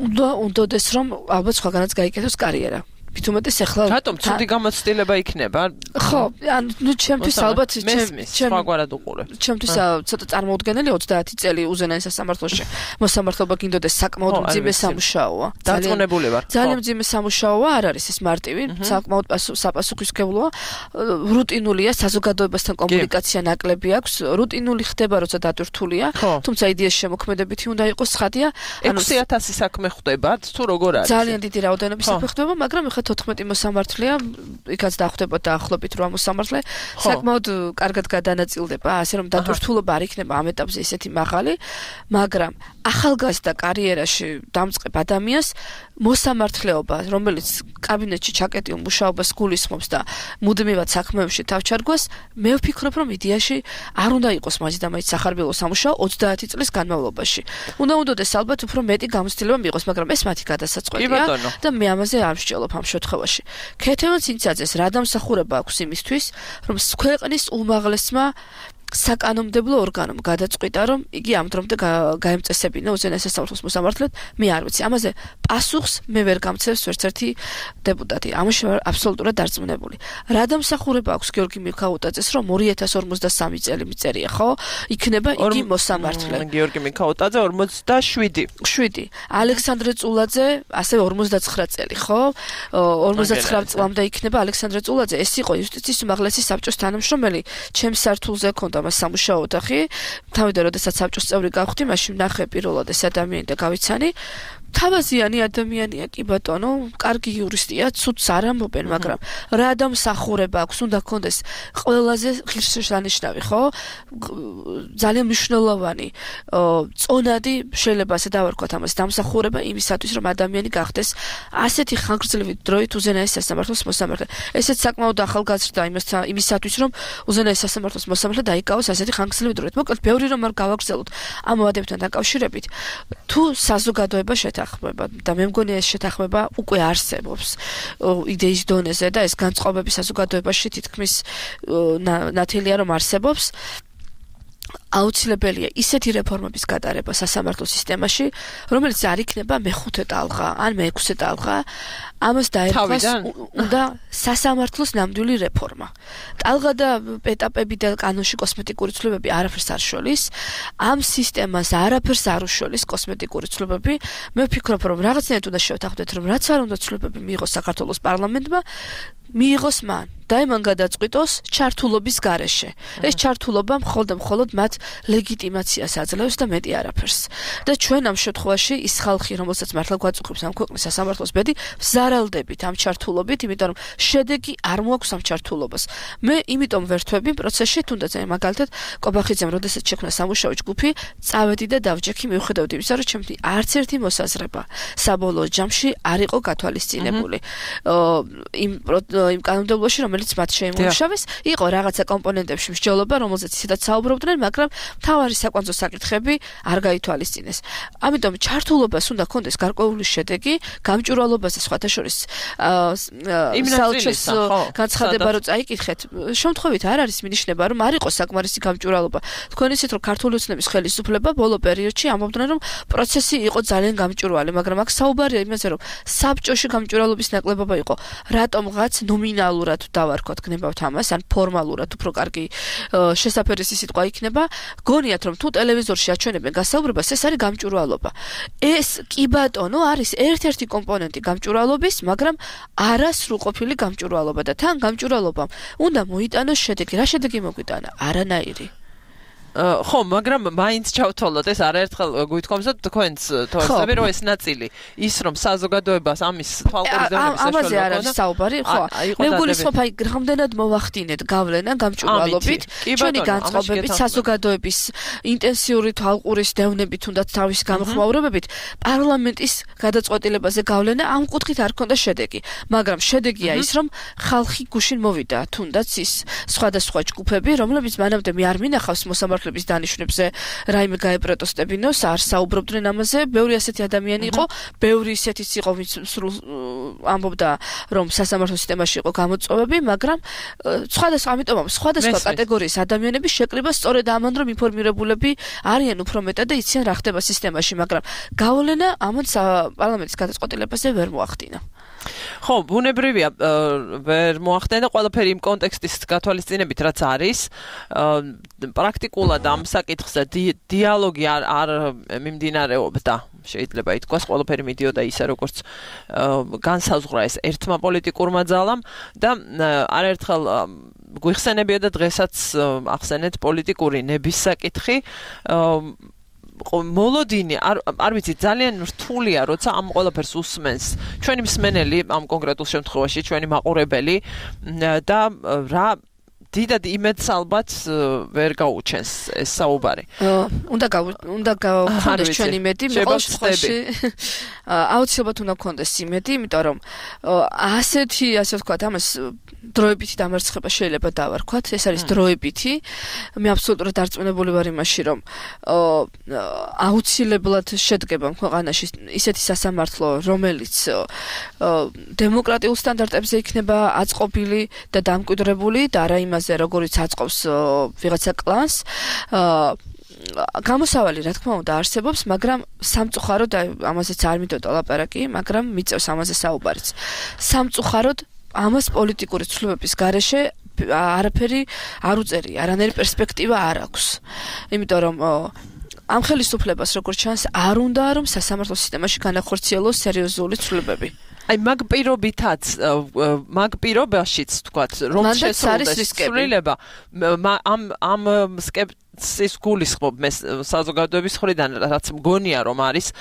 უნდა უნდოდეს, რომ ალბათ სხვაგანაც გაიკეთოს კარიერა. თუმეტეს ახლა რატომ ცუდი გამოცდილება იქნება? ხო, ანუ ნუ ჩემთვის ალბათ ჩემ სხვაგვარად უყურებ. ჩემთვის ცოტა წარმოუდგენელი ოცდაათი წელი უზენაეს სასამართლოში მოსამართლობა გინდოდეს საკმაოდ მძიმე სამუშაოა. დარწმუნებული ვარ. ძალიან მძიმე სამუშაოა, არ არის ეს მარტივი, საკმაოდ საპასუხისმგებლოა. რუტინულია, საზოგადოებასთან კომუნიკაცია ნაკლები აქვს, რუტინული ხდება, როცა დატვირთულია, თუმცა იდეის შემოქმედებითი უნდა იყოს ცხადია. ექვსი ათასი საქმე ხდებათ, თუ როგორ არის? ძალიან დიდი რაოდენობის საქმე ხდება, მაგრამ ეხლა თოთხმეტი მოსამართლეა, იქაც დახვდება დაახლოებით რვა მოსამართლე, საკმაოდ კარგად გადანაწილდება, ასე რომ დატვირთულობა არ იქნება ამ ეტაპზე ისეთი მაღალი, მაგრამ ახალგაზრდა კარიერაში დამწყებ ადამიანს მოსამართლეობა, რომელიც კაბინეტში ჩაკეტილ მუშაობას გულისხმობს და მუდმივად საქმეებში თავჩარგვას, მე ვფიქრობ, რომ იდეაში არ უნდა იყოს მაინც და მაინც სახარბილო სამუშაო ოცდაათი წლის განმავლობაში. უნდა უნდოდეს ალბათ უფრო მეტი გამოცდილება მიიღოს, მაგრამ ეს მათი გადასაწყვეტია და მე ამაზე არ ვსჯელობ ამ შემთხვევაში. ქეთევან ცინცაძეს რა დამსახურება აქვს იმისთვის, რომ ქვეყნის უმაღლესმა საკანონმდებლო ორგანომ გადაწყვიტა, რომ იგი ამ დრომდე გაემწესებინა უზენაეს სასამართლოს მოსამართლედ, მე არ ვიცი. ამაზე პასუხს მე ვერ გამცემს ვერც ერთი დეპუტატი. ამაში ვარ აბსოლუტურად დარწმუნებული. რა დამსახურება აქვს გიორგი მიქაუტაძეს, რომ ორი ათას ორმოცდასამი წელი მიწერია, ხო? იქნება იგი მოსამართლე. გიორგი მიქაუტაძე ორმოცდაშვიდი. შვიდი. ალექსანდრე წულაძე ასევე ორმოცდაცხრა წელი, ხო? ორმოცდაცხრა წლამდე იქნება ალექსანდრე წულაძე. ეს იყო იუსტიციის უმაღლესი საბჭოს თანამშრომელი, ჩემს სართულზე ქონდა მას სამუშაო ოთახი. თავიდან როდესაც საბჭოს წევრი გავხდი, მაშინ ნახე პირველად ეს ადამიანი და გავიცანი. თავაზიანი ადამიანია, კი ბატონო, კარგი იურისტია, ცუდს არ ამბობენ, მაგრამ რა დამსახურება აქვს, უნდა კონდეს ყველაზე ღირსშესანიშნავი, ხო? ძალიან მნიშვნელოვანი, წონადი, შეიძლება ასე დავარქვათ ამას, დამსახურება იმისათვის, რომ ადამიანი გახდეს ასეთი ხანგრძლივი დროით უზენაეს სასამართლოს მოსამართლე. ესეც საკმაოდ ახალგაზრდა იმისათვის, რომ უზენაეს სასამართლოს მოსამართლე დაიკავოს ასეთი ხანგრძლივი დროით. მოკლედ, ბევრი რომ არ გავაგრძელოთ ამ მოადებთან დაკავშირებით, თუ საზოგადოება შეთანხმება და მე მგონი ეს შეთანხმება უკვე არსებობს იდეის დონეზე და ეს განწყობები საზოგადოებაში თითქმის ნათელია რომ არსებობს. აუცილებელია ისეთი რეფორმების გატარება სასამართლო სისტემაში, რომელიც არ იქნება მეხუთე ტალღა ან მეექვსე ტალღა, ამას დაერქვას უნდა სასამართლოს ნამდვილი რეფორმა. ტალღა და ეტაპები და კანონში კოსმეტიკური ცვლილებები არაფერს არ შორის, ამ სისტემას არაფერს არ უშოლის კოსმეტიკური ცვლილებები. მე ვფიქრობ, რომ რაღაცნაირად უნდა შევთანხმდეთ, რომ რაც არ უნდა ცვლილებები მიიღოს საქართველოს პარლამენტმა, მიიღოს მან და იმან გადაწყვიტოს ჩართულობის გარეშე. ეს ჩართულობა მხოლოდ მხოლოდ მათ ლეგიტიმაციას აძლევს და მეტი არაფერს. და ჩვენ ამ შემთხვევაში ის ხალხი, რომელსაც მართლა გვაწუხებს ამ ქვეყნის სასამართლოს ბედი, ვზარალდებით ამ ჩართულობით, იმიტომ რომ შედეგი არ მოაქვს ამ ჩართულობას. მე იმიტომ ვერთვები პროცესში, თუნდაც მაგალითად კობახიძემ, როდესაც შექმნა სამუშაო ჯგუფი, წავედი და დავჯექი, მიუხედავად იმისა, რომ ჩემთვის არც ერთი მოსაზრება საბოლოო ჯამში არ იყო გათვალისწინებული. იმ იმ კანონმდებლობაში, რომელიც მათ შეიმუშავეს, იყო რაღაცა კომპონენტებში მსჯელობა, რომელზეც ისედაც საუბრობდნენ, მაგრამ მთავარი საკვანძო საკითხები არ გაითვალისწინეს. ამიტომ ჩართულობას უნდა კონდეს გარკვეული შედეგი, გამჭვირვალობაზე სხვათა შორის საელჩოს განცხადება რო წაიკითხეთ, შემთხვევით არ არის მინიშნება, რომ არ იყო საკმარისი გამჭვირვალობა. თქვენ ისეთ რომ ქართული ოცნების ხელისუფლება ბოლო პერიოდში ამბობდნენ, რომ პროცესი იყო ძალიან გამჭვირვალე, მაგრამ აქ საუბარია იმაზე, რომ საბჭოში გამჭვირვალობის ნაკლებობა იყო. რატომღაც ნომინალურად დავარქვათ გნებავთ ამას, ან ფორმალურად უფრო კარგი შესაფერისი სიტყვა იქნება, გონიათ რომ თუ ტელევიზორში აჩვენებენ გასაუბრებას, ეს არის გამჭვირვალობა. ეს კი ბატონო არის ერთ-ერთი კომპონენტი გამჭვირვალობის, მაგრამ არა სრულყოფილი გამჭვირვალობა და თან გამჭვირვალობამ უნდა მოიტანოს შედეგი. რა შედეგი მოგვიტანა? არანაირი. ხო, მაგრამ მაინც ჩავთვალოთ ეს არაერთხელ გვითხოვსოთ თქვენს თორსები, რომ ეს ნაწილი ის რომ საზოგადოებას ამის თვალყურის დონეზე საშუალება ამაზე არ არის საუბარი, ხო. მე გულისხმობ, აი რამდენად მოვახდინეთ გავლენა გამჭვირვალობით, ჩვენი განწყობებით, საზოგადოების ინტენსიური თვალყურის დევნებით, თუნდაც თავის გამოხმაურებებით, პარლამენტის გადაწყვეტილებაზე გავლენა ამ კუთხით არ ქონდა შედეგი, მაგრამ შედეგია ის, რომ ხალხი გუშინ მოვიდა, თუნდაც ის სხვადასხვა ჯგუფები, რომლებიც მანამდე მე არ მინახავს მოსამართლე დანიშნებზე რაიმე გაეპროტესტებინოს, არ საუბრობდნენ ამაზე, ბევრი ასეთი ადამიანი იყო, ბევრი ისეთიც იყო, ვინც სრულ ამბობდა, რომ სასამართლო სისტემაში იყო გამოწვევები, მაგრამ სხვადასხვა, ამიტომ სხვადასხვა კატეგორიის ადამიანები შეკრიბა სწორედ ამან, რომ ინფორმირებულები არიან უფრო მეტად და იციან რა ხდება სისტემაში, მაგრამ გავლენა ამან პარლამენტის გადაწყვეტილებაზე ვერ მოახდინა. ხო, ბუნებრივია ვერ მოახდენა ყველაფერი იმ კონტექსტის გათვალისწინებით, რაც არის. პრაქტიკულად ამ საკითხზე დიალოგი არ არ მიმდინარეობდა. შეიძლება ითქვას, ყველაფერი მიდიოდა ისე, როგორც განსაზღვრა ეს ერთმა პოლიტიკურმა ძალამ და არაერთხელ გვიხსენებიოდა დღესაც ახსენეთ პოლიტიკური ნების საკითხი. მოლოდინი არ არ ვიცი ძალიან რთულია როცა ამ ყველაფერს უსმენს ჩვენი მსმენელი ამ კონკრეტულ შემთხვევაში ჩვენი მაყურებელი და რა დიდად იმედს ალბათ ვერ გაუჩენს ეს საუბარი. უნდა უნდა გავხდეს ჩვენი იმედი, ყოველ შემთხვევაში აუცილებლად უნდა გქონდეს იმედი, იმიტომ რომ ასეთი, ასე ვთქვათ, ამას დროებითი დამარცხება შეიძლება დავარქვათ, ეს არის დროებითი. მე აბსოლუტურად დარწმუნებული ვარ იმაში, რომ აუცილებლად შედგება ქვეყანაში ისეთი სასამართლო, რომელიც დემოკრატიულ სტანდარტებზე იქნება აწყობილი და დამკვიდრებული და არა იმაზე, როგორიც აწყობს ვიღაცა კლანს. გამოსავალი, რა თქმა უნდა, არსებობს, მაგრამ სამწუხაროდ ამაზეც არ მიდოდა ლაპარაკი, მაგრამ მიწევს ამაზე საუბარიც. სამწუხაროდ ამას პოლიტიკური ცვლილებების გარეშე არაფერი არ უწერია, არანაირი პერსპექტივა არ აქვს. იმიტომ რომ ამ ხელისუფლებას როგორც ჩანს, არ უნდა რომ სასამართლო სისტემაში განახორციელოს სერიოზული ცვლილებები. აი მაგ პირობითაც მაგ პირობაშიც თქვათ რომ შესაძლოა ცვლილება ამ ამ სკეპსის გულისხმობ მე საზოგადოების მხრიდან რაც მგონია რომ არის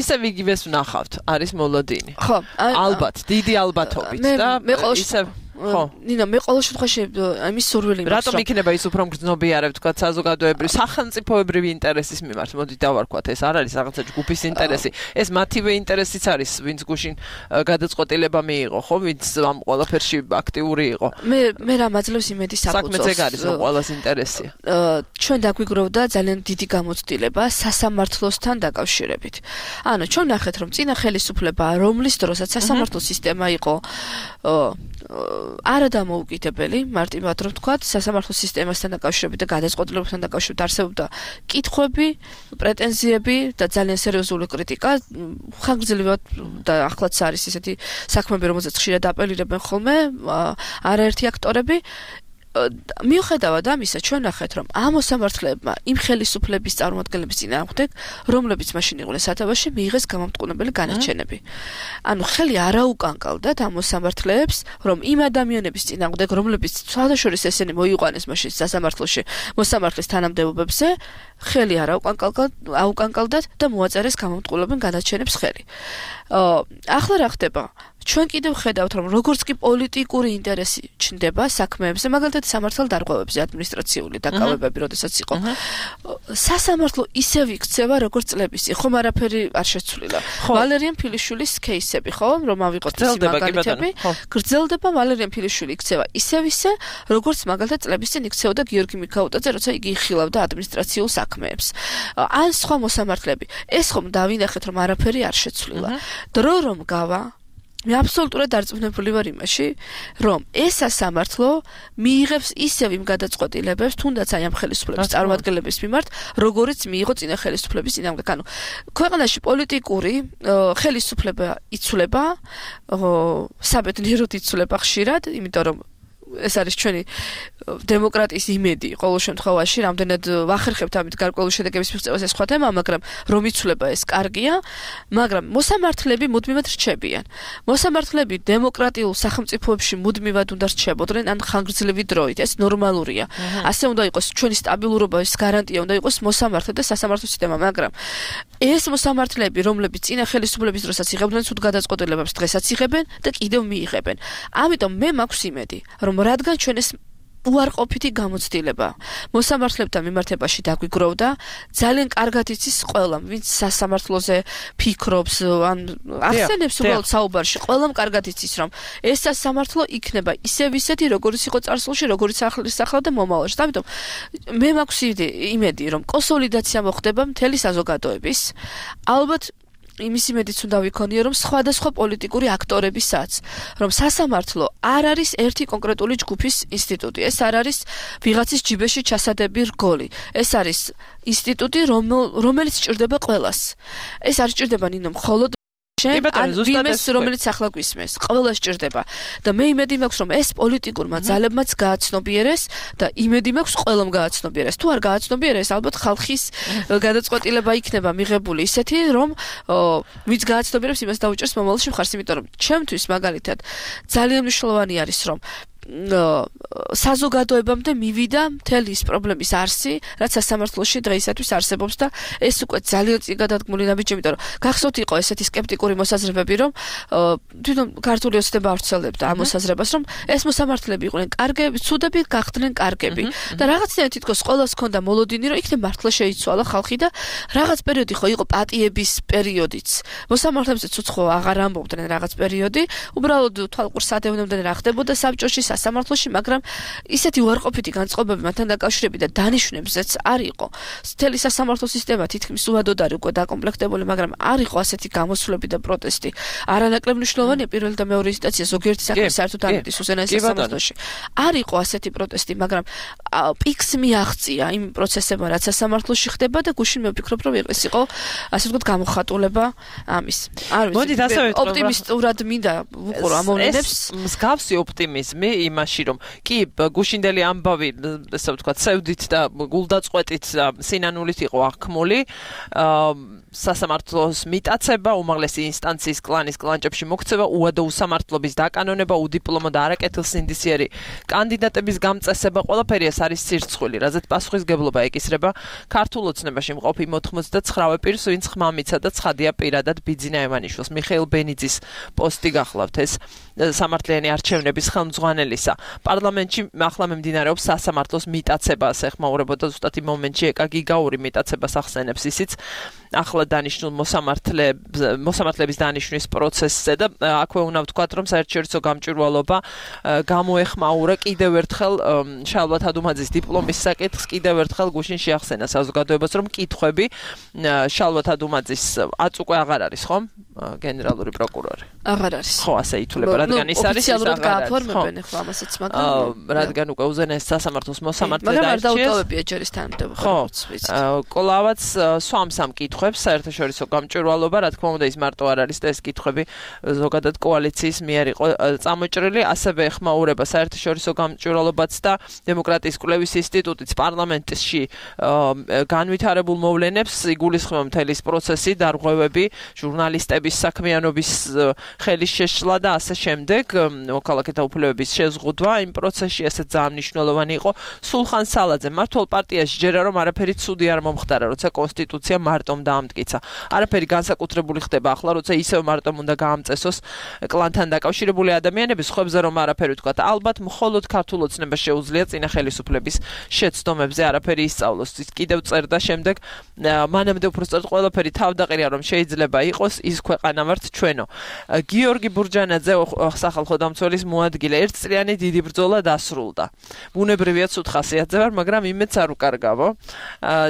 ისე ვიგივეს ვნახავთ არის მოლოდინი ხო ალბათ დიდი ალბათობით და ისე ხო ნინა მე ყოველ შემთხვევაში ამის სურვილი მაქვს რატომ იქნება ის უფრო მგრძნობიარე თქვათ საზოგადოებრივი სახელმწიფოებრივი ინტერესის მიმართ მოდი დავარქვათ ეს არ არის რაღაცა ჯგუფის ინტერესი ეს მათივე ინტერესიც არის ვინც გუშინ გადაწყვეტილება მიიღო ხო ვინც ამ ყველაფერში აქტიური იყო მე მე რა მაძლევს იმედი საფუძველს საქმეც ეგ არის რომ ყველას ინტერესია ჩვენ დაგვიგროვდა ძალიან დიდი გამოცდილება სასამართლოსთან დაკავშირებით ანუ ჩვენ ნახეთ რომ წინა ხელისუფლება რომლის დროსაც სასამართლო სისტემა იყო არა დამოუკიდებელი, მარტივად რომ ვთქვათ, სასამართლო სისტემასთან დაკავშირებით და გადაწყვეტილებებთან დაკავშირებით არსებობდა კითხვები, პრეტენზიები და ძალიან სერიოზული კრიტიკა, ხანგრძლივად და ახლაც არის ესეთი საქმეები, რომელზეც ხშირად აპელირებენ ხოლმე არაერთი აქტორები. მიუხედავად ამისა, ჩვენ ნახეთ, რომ ამ მოსამართლეებმა იმ ხელისუფლების წარმომადგენლების წინააღმდეგ, რომლებიც მაშინ იყვნენ სათავეში, მიიღეს გამამტყუნებელი განაჩენები. ანუ ხელი არ აუკანკალდათ ამ მოსამართლეებს, რომ იმ ადამიანების წინააღმდეგ, რომლებიც სხვადასხვა ესენი მოიყვანეს მაშინ სასამართლოში, მოსამართლის თანამდებობებზე, ხელი არ აუკანკალდათ და მოაწერეს გამამტყუნებელი განაჩენებს ხელი. ახლა რა ხდება? ჩვენ კიდევ ხედავთ, რომ როგორც კი პოლიტიკური ინტერესი ჩნდება საქმეებზე, მაგალითად სამართალ დარღვევებზე ადმინისტრაციული დაკავებები, როდესაც იყო. სასამართლო ისევ იქცევა, როგორც წლებისი, ხომ არაფერი არ შეცვლილა. ვალერიან ფილიშვილის кейსები, ხო, რომ ავიღოთ ის მაგალითები, გრძელდება ვალერიან ფილიშვილი იქცევა ისევ ისე, როგორც მაგალითად წლების წინ იქცეოდა გიორგი მიქაუტაძე, როცა იგი იხილავდა ადმინისტრაციულ საქმეებს. ან სხვა მოსამართლეები. ეს ხომ დავინახეთ, რომ არაფერი არ შეცვლილა. დრო რომ გავა მე აბსოლუტურად დარწმუნებული ვარ იმაში, რომ ეს სასამართლო მიიღებს ისევ იმ გადაწყვეტილებებს, თუნდაც აი ამ ხელისუფლების წარმომადგენლების მიმართ, როგორიც მიიღო წინა ხელისუფლების წინააღმდეგ. ანუ ქვეყანაში პოლიტიკური ხელისუფლება იცვლება, საბედნიეროდ იცვლება ხშირად, იმიტომ რომ ეს არის ჩვენი დემოკრატიის იმედი ყოველ შემთხვევაში, რამდენად ვახერხებთ ამით გარკვეული შედეგების მიღწევას ეს სხვა თემა, მაგრამ რომ იცვლება ეს კარგია, მაგრამ მოსამართლეები მუდმივად რჩებიან. მოსამართლეები დემოკრატიულ სახელმწიფოებში მუდმივად უნდა რჩებოდნენ ან ხანგრძლივი დროით, ეს ნორმალურია. ასე უნდა იყოს ჩვენი სტაბილურობის გარანტია უნდა იყოს მოსამართლე და სასამართლო სისტემა, მაგრამ ეს მოსამართლეები, რომლებიც წინა ხელისუფლების დროსაც იღებდნენ სულ გადაწყვეტილებებს, დღესაც იღებენ და კიდევ მიიღებენ. ამიტომ მე მაქვს იმედი, რომ რადგან ჩვენ ეს უარყოფითი გამოცდილება მოსამართლებთან მიმართებაში დაგვიგროვდა, ძალიან კარგად იცის ყველამ, ვინც სასამართლოზე ფიქრობს, ან ახსენებს უბრალოდ საუბარში, ყველამ კარგად იცის, რომ ეს სასამართლო იქნება ისევ ისეთი, როგორც იყო წარსულში, როგორც ახლის ახლა და მომავალში. ამიტომ მე მაქვს იმედი, რომ კონსოლიდაცია მოხდება მთელი საზოგადოების. ალბათ იმის იმედიც უნდა ვიქონიო, რომ სხვადასხვა პოლიტიკური აქტორებისაც, რომ სასამართლო არ არის ერთი კონკრეტული ჯგუფის ინსტიტუტი, ეს არ არის ვიღაცის ჯიბეში ჩასადები რგოლი. ეს არის ინსტიტუტი, რომელიც სჭირდება ყველას. ეს არ სჭირდება ნინო მხოლოდ ჩემ ან ვინმეს რომელიც ახლა გვისმენს ყველა სჭირდება და მე იმედი მაქვს რომ ეს პოლიტიკურმა ძალებმაც გააცნობიერეს და იმედი მაქვს ყველამ გააცნობიერეს თუ არ გააცნობიერეს ალბათ ხალხის გადაწყვეტილება იქნება მიღებული ისეთი რომ ვინც გააცნობიერებს იმას დაუჭერს მომავალში მხარს იმიტომ რომ ჩემთვის მაგალითად ძალიან მნიშვნელოვანი არის რომ საზოგადოებამდე მივიდა მთელი ის პრობლემის არსი, რაც სასამართლოში დღეისათვის არსებობს და ეს უკვე ძალიან წინ გადადგმული ნაბიჯი, იმიტომ რომ გახსოვთ იყო ესეთი სკეპტიკური მოსაზრებები, რომ თვითონ ქართული ოცნება ავრცელებდა ამ მოსაზრებას, რომ ეს მოსამართლეები იყვნენ კარგები, ცუდები გახდნენ კარგები და რაღაცნაირად თითქოს ყოველს ჰქონდა მოლოდინი, რომ იქნებ მართლა შეიცვალა ხალხი და რაღაც პერიოდი ხო იყო პატიების პერიოდიც. მოსამართლეებზეც უცხო აღარ ამბობდნენ რაღაც პერიოდი, უბრალოდ თვალყურს ადევნებდნენ რა ხდებოდა საბჭოში სასამართლოში, მაგრამ ისეთი უარყოფითი განწყობები მათთან დაკავშირებით და დანიშვნებზეც არ იყო. მთელი სასამართლო სისტემა თითქმის უადოდ არის უკვე დაკომპლექტებული, მაგრამ არ იყო ასეთი გამოსვლები და პროტესტი. არანაკლებ მნიშვნელოვანია პირველი და მეორე ინსტანცია ზოგიერთი საქმე საერთოდ არ მიდის უზენაეს სასამართლოში. არ იყო ასეთი პროტესტი, მაგრამ პიკს მიაღწია იმ პროცესებმა, რაც სასამართლოში ხდება და გუშინ მე ვფიქრობ, რომ ეს იყო ასე ვთქვათ გამოხატულება ამის. არ ვიცი, ოპტიმისტურად მინდა ვუყურო ამ მოვლენებს. მსგავსი ოპტიმიზმი იმაში რომ კი გუშინდელი ამბავი ესე ვთქვათ სევდით და გულდაწყვეტით სინანულით იყო აღქმული სასამართლოს მიტაცება უმაღლესი ინსტანციის კლანის კლანჭებში მოქცევა უადო უსამართლობის დაკანონება უდიპლომო და არაკეთილსინდისიერი კანდიდატების გამწესება ყველაფერი ეს არის სირცხვილი რაზეც პასუხისგებლობა ეკისრება ქართულ ოცნებაში მყოფი მოთხმოცდაცხრა პირს ვინც ხმამიცა და ცხადია პირადად ბიძინა ევანიშვილს მიხეილ ბენიძის პოსტი გახლავთ ეს სამართლიანი არჩევნების ხელმძღვანელისა პარლამენტში ახლა მიმდინარეობს სასამართლოს მიტაცება ეხმაურებოდა ზუსტად იმ მომენტში ეკა გიგაური მიტაცებას ახსენებს ისიც ახლა დანიშნულ მოსამართლეებს მოსამართლეების დანიშვნის პროცესზე და აქვე უნდა ვთქვათ რომ საერთაშორისო გამჭვირვალობა გამოეხმაურა კიდევ ერთხელ შალვა თადუმაძის დიპლომის საკითხს კიდევ ერთხელ გუშინ შეახსენა საზოგადოებას რომ კითხვები შალვა თადუმაძის აწ უკვე აღარ არის ხომ გენერალური პროკურორი აღარ არის ხო ასე ითვლება რადგან ის არის ოფიციალურად გააფორმებენ ახლა ამასაც მაგრამ რადგან უკვე უზენაეს სასამართლოს მოსამართლე დაიჭირეს მაგრამ არ დაუტოვებია ჯერის თანამდებობა ხო კოლავაც სვამს ამ კითხვებს საერთაშორისო გამჭვირვალობა რა თქმა უნდა ის მარტო არ არის და ეს კითხვები ზოგადად კოალიციის მიერ იყო წამოჭრილი ასევე ეხმაურება საერთაშორისო გამჭვირვალობაც და დემოკრატიის კვლევის ინსტიტუტიც პარლამენტში განვითარებულ მოვლენებს იგულისხმება მთელი პროცესი დარღვევები ჟურნალისტების საქმიანობის ხელის შეშლა და ასე შემდეგ მოქალაქეთა უფლებების შეზღუდვა იმ პროცესში ესე ძალიან მნიშვნელოვანი იყო სულხან სალაძე მართლ პარტიაში ჯერა რომ არაფერი ცუდი არ მომხდარა როცა კონსტიტუცია მარტომ დაამტკიცა არაფერი განსაკუთრებული ხდება ახლა როცა ისევ მარტომ უნდა გაამწესოს კლანთან დაკავშირებული ადამიანების ხვებზე რომ არაფერი ვთქვათ ალბათ მხოლოდ ქართულ ოცნებას შეუძლია წინა ხელისუფლების შეცდომებზე არაფერი ისწავლოს ის კიდევ წერდა შემდეგ მანამდე უბრალოდ ყველაფერი თავდაყირია რომ შეიძლება იყოს ის ქვეყანა ვართ ჩვენო გიორგი ბურჯანაძე სახალხო დამცველის მოადგილე ერთწლიანი დიდი ბრძოლა დასრულდა ბუნებრივია ცუდ ხასიათზე ვარ მაგრამ იმედს არ უკარგავო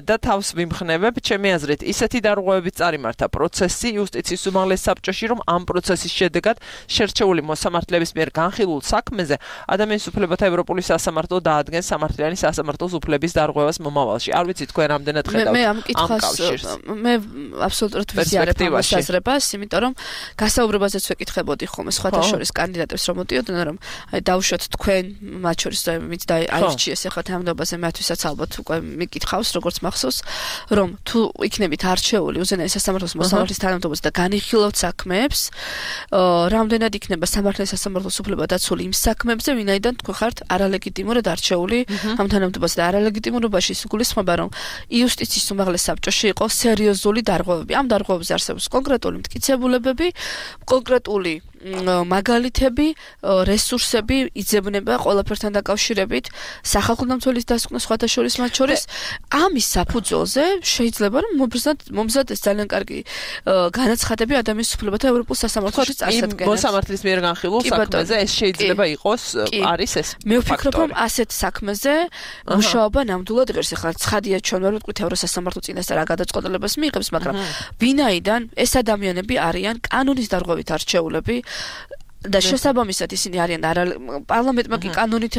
და თავს ვიმხნევებ ჩემი აზრით ისეთი დარღვევებით წარიმართა პროცესი იუსტიციის უმაღლეს საბჭოში რომ ამ პროცესის შედეგად შერჩეული მოსამართლეების მიერ განხილულ საქმეზე ადამიანის უფლებათა ევროპული სასამართლო დაადგენს სამართლიანი სასამართლოს უფლების დარღვევას მომავალში არ ვიცი თქვენ რამდენად ხედავთ მე ამ კითხვას მე აბსოლუტურად ვიზიარებ ამ საზრებას იმიტომ რომ გასაუბრებაზეც ვეკითხებოდი ხოლმე სხვათა შორის კანდიდატებს რომ მოდიოდნენ რომ აი დავუშვათ თქვენ მათ შორის ვინც დააირჩიეს ახლა თანამდებობაზე მათთვისაც ალბათ უკვე მიკითხავს როგორც მახსოვს რომ თუ იქნებით არჩეული უზენაეს სასამართლოს მოსამართლის თანამდებობაზე და განიხილავთ საქმეებს რამდენად იქნება სამართლის სასამართლოს უფლება დაცული იმ საქმეებზე ვინაიდან თქვენ ხართ არალეგიტიმურად არჩეული ამ თანამდებობაზე და არალეგიტიმურობაში სიგულისხმება რომ იუსტიციის უმაღლეს საბჭოში იყო სერიოზული დარღვევები ამ დარღვევებზე არსებობს კონკრეტული მტკიცებულებები კონკრეტული მაგალითები, რესურსები იძებნება ყველაფერთან დაკავშირებით სახალხო დამცველის დასკვნა სხვათა შორის მათ შორის ამის საფუძველზე შეიძლება რომ მომზადდეს ძალიან კარგი განაცხადები ადამიანის უფლებათა ევროპულ სასამართლოში წარსადგენად. მოსამართლის მიერ განხილულ საქმეზე ეს შეიძლება იყოს არის ეს. მე ვფიქრობ რომ ასეთ საქმეზე მუშაობა ნამდვილად ღირს ახლა ცხადია ჩვენ ვერ ვიტყვით ევროსასამართლო წინასწარ რა გადაწყვეტილებას მიიღებს, მაგრამ ვინაიდან ეს ადამიანები არიან კანონის დარღვევით არჩეულები და შესაბამისად ისინი არიან პარლამენტმა კი კანონით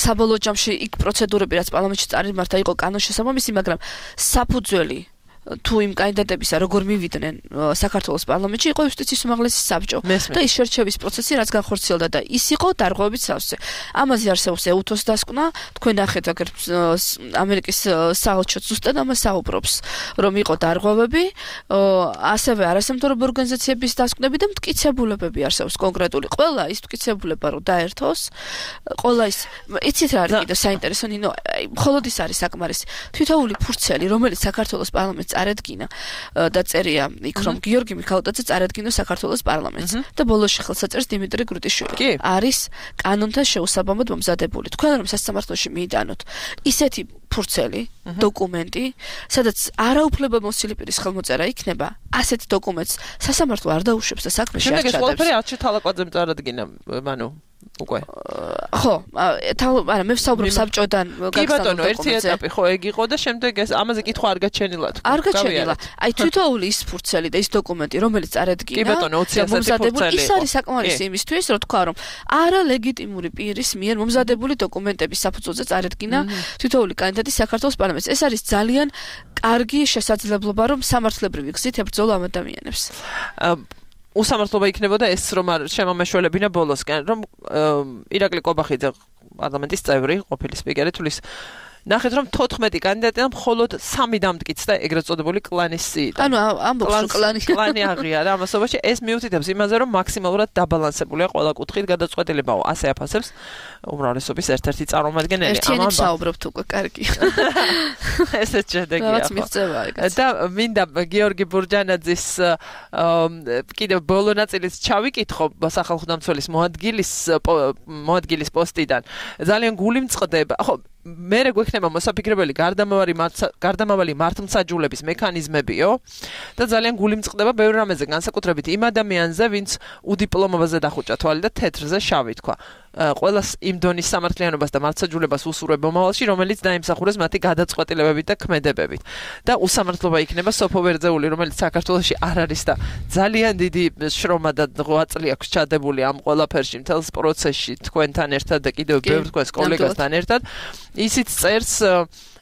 საბოლოო ჯამში იქ პროცედურები რაც პარლამენტში წარიმართა იყო კანონს შესაბამისი, მაგრამ საფუძველი თუ იმ კანდიდატებისა როგორ მივიდნენ საქართველოს პარლამენტში იყო იუსტიციის უმაღლესი საბჭო და ის შერჩევის პროცესი რაც განხორციელდა და ის იყო დარღვევებით სავსე. ამაზე არსებობს ეუთოს დასკვნა, თქვენ ნახეთ აგერ ამერიკის საელჩო ზუსტად ამას საუბრობს, რომ იყო დარღვევები, ასევე არასამთავრობო ორგანიზაციების დასკვნები და მტკიცებულებები არსებობს კონკრეტული. ყველა ის მტკიცებულება რომ დაერთოს, ყველა ის იცით რა არის კიდევ საინტერესო, ნინო, მხოლოდ ის არის საკმარისი. თითოეული ფურცელი, რომელიც საქართველოს პარლამენტს წარედგინა და წერია იქ რომ გიორგი მიქალოძე წარედგინა საქართველოს პარლამენტს და ბოლოში ხელსაწერს დიმიტრი გრუტიშვილი. არის კანონთან შეუსაბამოდ მომზადებული. თქვენ რომ სასამართლოში მიიტანოთ ისეთი ფურცელი დოკუმენტი, სადაც არაუფლებამოსილი პირის ხელმოწერა იქნება, ასეთ დოკუმენტს სასამართლო არ დაუშვებს და საქმე შეაჩადებს. შემდეგ ეს ყველაფერი არჩილ თალაკვაძემ წარადგინა, მანუ უკვე. ხო, არა, მე ვსაუბრობ საბჭოდან გაგზავნილ. კი ბატონო, ერთი ეტაპი ხო ეგ იყო და შემდეგ ეს ამაზე კითხვა არ გაჩენილა თქვა. არ გაჩენილა. აი თვითოული ის ფურცელი და ის დოკუმენტი, რომელიც წარედგინა, კი ბატონო, ოცი ფურცელი ის არის საკმარისი იმისთვის, რომ თქვა რომ არა ლეგიტიმური პირის მიერ მომზადებული დოკუმენტების საფუძველზე წარედგინა თვითოული კანდიდატი საქართველოს პარლამენტს. ეს არის ძალიან კარგი შესაძლებლობა, რომ სამართლებრივი გზით ებრძოლო ამ ადამიანებს. უსამართლობა იქნებოდა ეს რომ არ შემომეშველებინა ბოლოსკენ, რომ ირაკლი კობახიძე პარლამენტის წევრი, ყოფილი სპიკერი თulis ნახეთ რომ თოთხმეტი კანდიდატიდან მხოლოდ სამი დამტკიცდა ეგრეთ წოდებული კლანის სიიდან. ანუ ამბობს კლანი კლანი აღიარა ამასობაში ეს მიუთითებს იმაზე რომ მაქსიმალურად დაბალანსებულია ყველა კუთხით გადაწყვეტილებაო ასე აფასებს უმრავლესობის ერთ-ერთი წარმომადგენელი. ერთიანი საუბრობთ უკვე კარგი. ესეც შედეგია. რაც მიღწევა ეგეც. და მინდა გიორგი ბურჯანაძის კიდევ ბოლო ნაწილის ჩავიკითხო სახალხო დამცველის მოადგილის მოადგილის პოსტიდან. ძალიან გული მწყდება. ხო მერე გვექნება მოსაფიქრებელი გარდამავალი გარდამავალი მართლმსაჯულების მექანიზმებიო და ძალიან გული მწყდება ბევრ რამეზე განსაკუთრებით იმ ადამიანზე ვინც უდიპლომობაზე დახუჭა თვალი და თეთრზე შავი თქვა ყველას იმ დონის სამართლიანობას და მართლმსაჯულებას უსურვებ მომავალში რომელიც დაიმსახურეს მათი გადაწყვეტილებებით და ქმედებებით და უსამართლობა იქნება სოფო ვერძეული რომელიც საქართველოში არ არის და ძალიან დიდი შრომა და ღვაწლი აქვს ჩადებული ამ ყველაფერში მთელს პროცესში თქვენთან ერთად და კიდევ ბევრ თქვენს კოლეგასთან ერთად ისიც წერს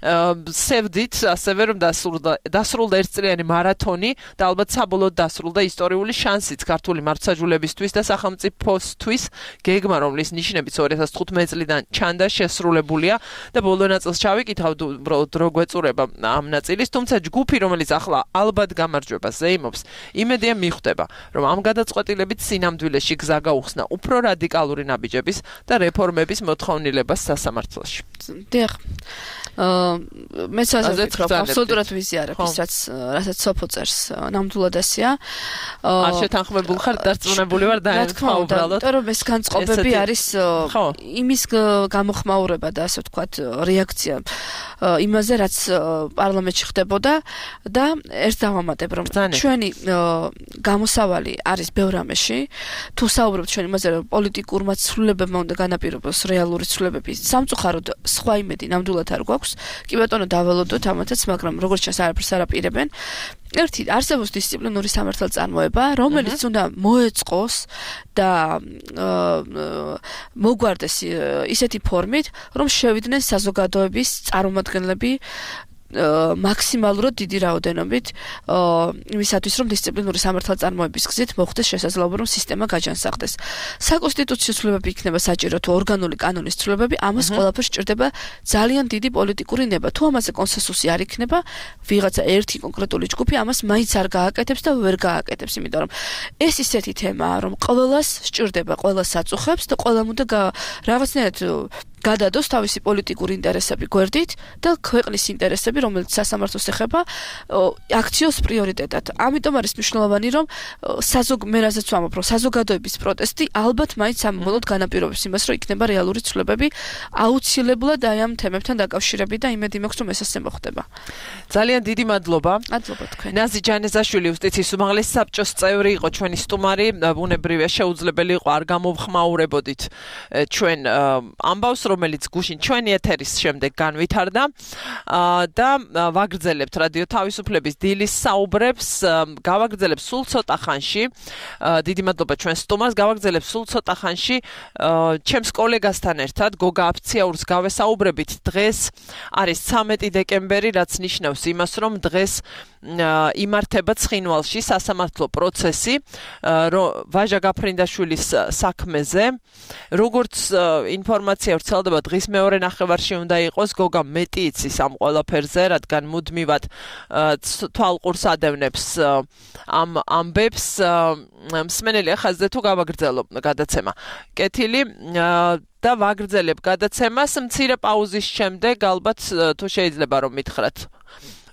სევდით ასევე რომ დასრულდა დასრულდა ერთწლიანი მარათონი და ალბათ საბოლოოდ დასრულდა ისტორიული შანსიც ქართული მართლმსაჯულებისთვის და სახელმწიფოსთვის გეგმა რომლის ნიშნებიც ორი ათას თხუთმეტი წლიდან ჩანდა შესრულებულია და ბოლო ნაწილს ჩავიკითხავთ უბრალოდ რო გვეწურება ამ ნაწილის თუმცა ჯგუფი რომელიც ახლა ალბათ გამარჯვებას ზეიმობს იმედია მიხვდება რომ ამ გადაწყვეტილებით სინამდვილეში გზა გაუხსნა უფრო რადიკალური ნაბიჯების და რეფორმების მოთხოვნილებას სასამართლოში. დიახ მეც ასე ვფიქრობ, აბსოლუტურად ვიზიარებ ის რაც რასაც სოფო წერს ნამდვილად ასეა. არ შეთანხმებული ხარ, დარწმუნებული ვარ და თქმა უნდა, იმიტომ რომ ეს განწყობები არის იმის გამოხმაურება და ასე ვთქვათ რეაქცია იმაზე რაც პარლამენტში ხდებოდა და ერთ დავამატებ რომ ჩვენი გამოსავალი არის ბევრ რამეში თუ საუბრობთ ჩვენ იმაზე რომ პოლიტიკურმა ცვლილებებმა უნდა განაპირობოს რეალური ცვლილებები სამწუხაროდ სხვა იმედი ნამდვილად არ გვაქვს კი ბატონო დაველოდოთ ამათაც მაგრამ როგორც ჩანს არაფერს არ აპირებენ ერთი არსებობს დისციპლინური სამართალწარმოება რომელიც უნდა მოეწყოს და მოგვარდეს ისეთი ფორმით რომ შევიდნენ საზოგადოების წარმომადგენლები მაქსიმალურად დიდი რაოდენობით იმისათვის რომ დისციპლინური სამართალწარმოების გზით მოხდეს შესაძლებლობა რომ სისტემა გაჯანსაღდეს. საკონსტიტუციო ცვლილებები იქნება საჭირო თუ ორგანული კანონის ცვლილებები ამას ყველაფერს სჭირდება ძალიან დიდი პოლიტიკური ნება. თუ ამაზე კონსენსუსი არ იქნება ვიღაცა ერთი კონკრეტული ჯგუფი ამას მაინც არ გააკეთებს და ვერ გააკეთებს იმიტომ რომ ეს ისეთი თემაა რომ ყველას სჭირდება ყველა საწუხებს და ყველამ უნდა რაღაცნაირად გადადოს თავისი პოლიტიკური ინტერესები გვერდით და ქვეყნის ინტერესები, რომელიც სასამართლოს ეხება, აქციოს პრიორიტეტად. ამიტომ არის მნიშვნელოვანი, რომ საზოგ მე რაზეც ვამბობ, რომ საზოგადოების პროტესტი ალბათ მაინც ამბოლოდ განაპირობებს იმას, რომ იქნება რეალური ცვლილებები აუცილებლად აი ამ თემებთან დაკავშირებით და იმედი მაქვს, რომ ეს ასე მოხდება. ძალიან დიდი მადლობა. მადლობა თქვენ. ნაზი ჯანეზაშვილი იუსტიციის უმაღლესი საბჭოს წევრი იყო ჩვენი სტუმარი, ბუნებრივია შეუძლებელი იყო არ გამოვხმაურებოდით ჩვენ ამბავს რომელიც გუშინ ჩვენი ეთერის შემდეგ განვითარდა და ვაგრძელებთ რადიო თავისუფლების დილის საუბრებს გავაგრძელებ სულ ცოტა ხანში დიდი მადლობა ჩვენ სტუმარს გავაგრძელებ სულ ცოტა ხანში ჩემს კოლეგასთან ერთად გოგა აფციაურს გავესაუბრებით დღეს არის ცამეტი დეკემბერი რაც ნიშნავს იმას რომ დღეს იმართება ცხინვალში სასამართლო პროცესი ვაჟა გაფრინდაშვილის საქმეზე. როგორც ინფორმაცია ვრცელდება, დღის მეორე ნახევარში უნდა იყოს გოგა მეტი იცის ამ ყველაფერზე, რადგან მუდმივად თვალყურს ადევნებს ამ ამბებს. მსმენელი ახაზზე თუ გავაგრძელო გადაცემა. კეთილი და ვაგრძელებ გადაცემას მცირე პაუზის შემდეგ, ალბათ თუ შეიძლება რომ მითხრათ.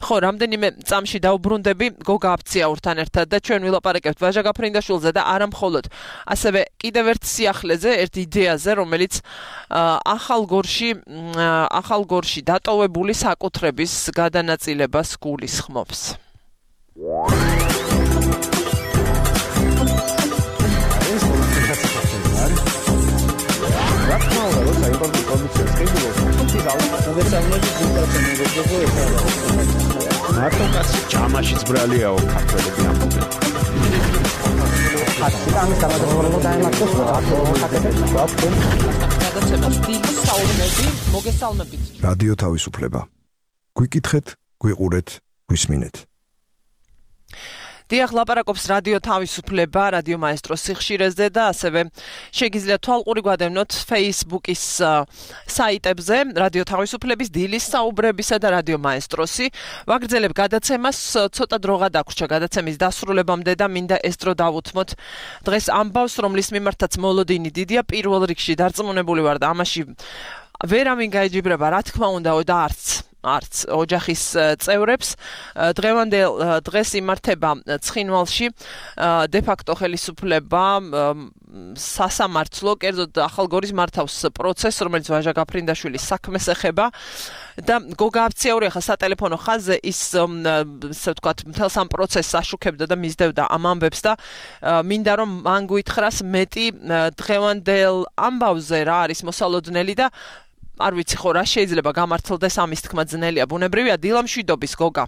ხო, რამდენიმე წამში დაუბრუნდები გოგა აფციაურთან ერთად და ჩვენ ვილაპარაკებთ ვაჟა გაფრინდაშვილზე და არა მხოლოდ, ასევე კიდევ ერთ სიახლეზე, ერთ იდეაზე, რომელიც ახალ გორში, ახალ გორში დატოვებული საკუთრების გადანაწილებას გულისხმობს. მარტო კაცი ჯამაშიც ბრალიაო ქართველები ამბობენ. რადიო თავისუფლება. გვიკითხეთ, გვიყურეთ, გვისმინეთ. დიახ, ლაპარაკობს რადიო თავისუფლება, რადიო მაესტროს სიხშირეზე და ასევე შეგიძლიათ თვალყური გვადევნოთ Facebook-ის საიტებზე, რადიო თავისუფლების, დილის საუბრებისა და რადიო მაესტროსი. ვაგრძელებ გადაცემას, ცოტა დროღა დაგვრჩა გადაცემის დასრულებამდე და მინდა ეს დრო დავუთმოთ დღეს ამბავს, რომლის მიმართაც მოლოდინი დიდია, პირველ რიგში დარწმუნებული ვარ და ამაში ვერავინ გაეჯიბრება, რა თქმა უნდა, და არც არც ოჯახის წევრებს. დღევანდელ დღეს იმართება ცხინვალში დე-ფაქტო ხელისუფლება სასამართლო, კერძოდ ახალგორის მართავს პროცესს, რომელიც ვაჟა გაფრინდაშვილის საქმეს ეხება და გოგა აფციაური ახლა სატელეფონო ხაზზე ის ასე ვთქვათ მთელს ამ პროცესს აშუქებდა და მისდევდა ამ ამბებს და მინდა რომ მან გვითხრას მეტი დღევანდელ ამბავზე რა არის მოსალოდნელი და არ ვიცი ხო რა შეიძლება გამართლდეს ამის თქმა ძნელია. ბუნებრივია დილა მშვიდობის გოგა.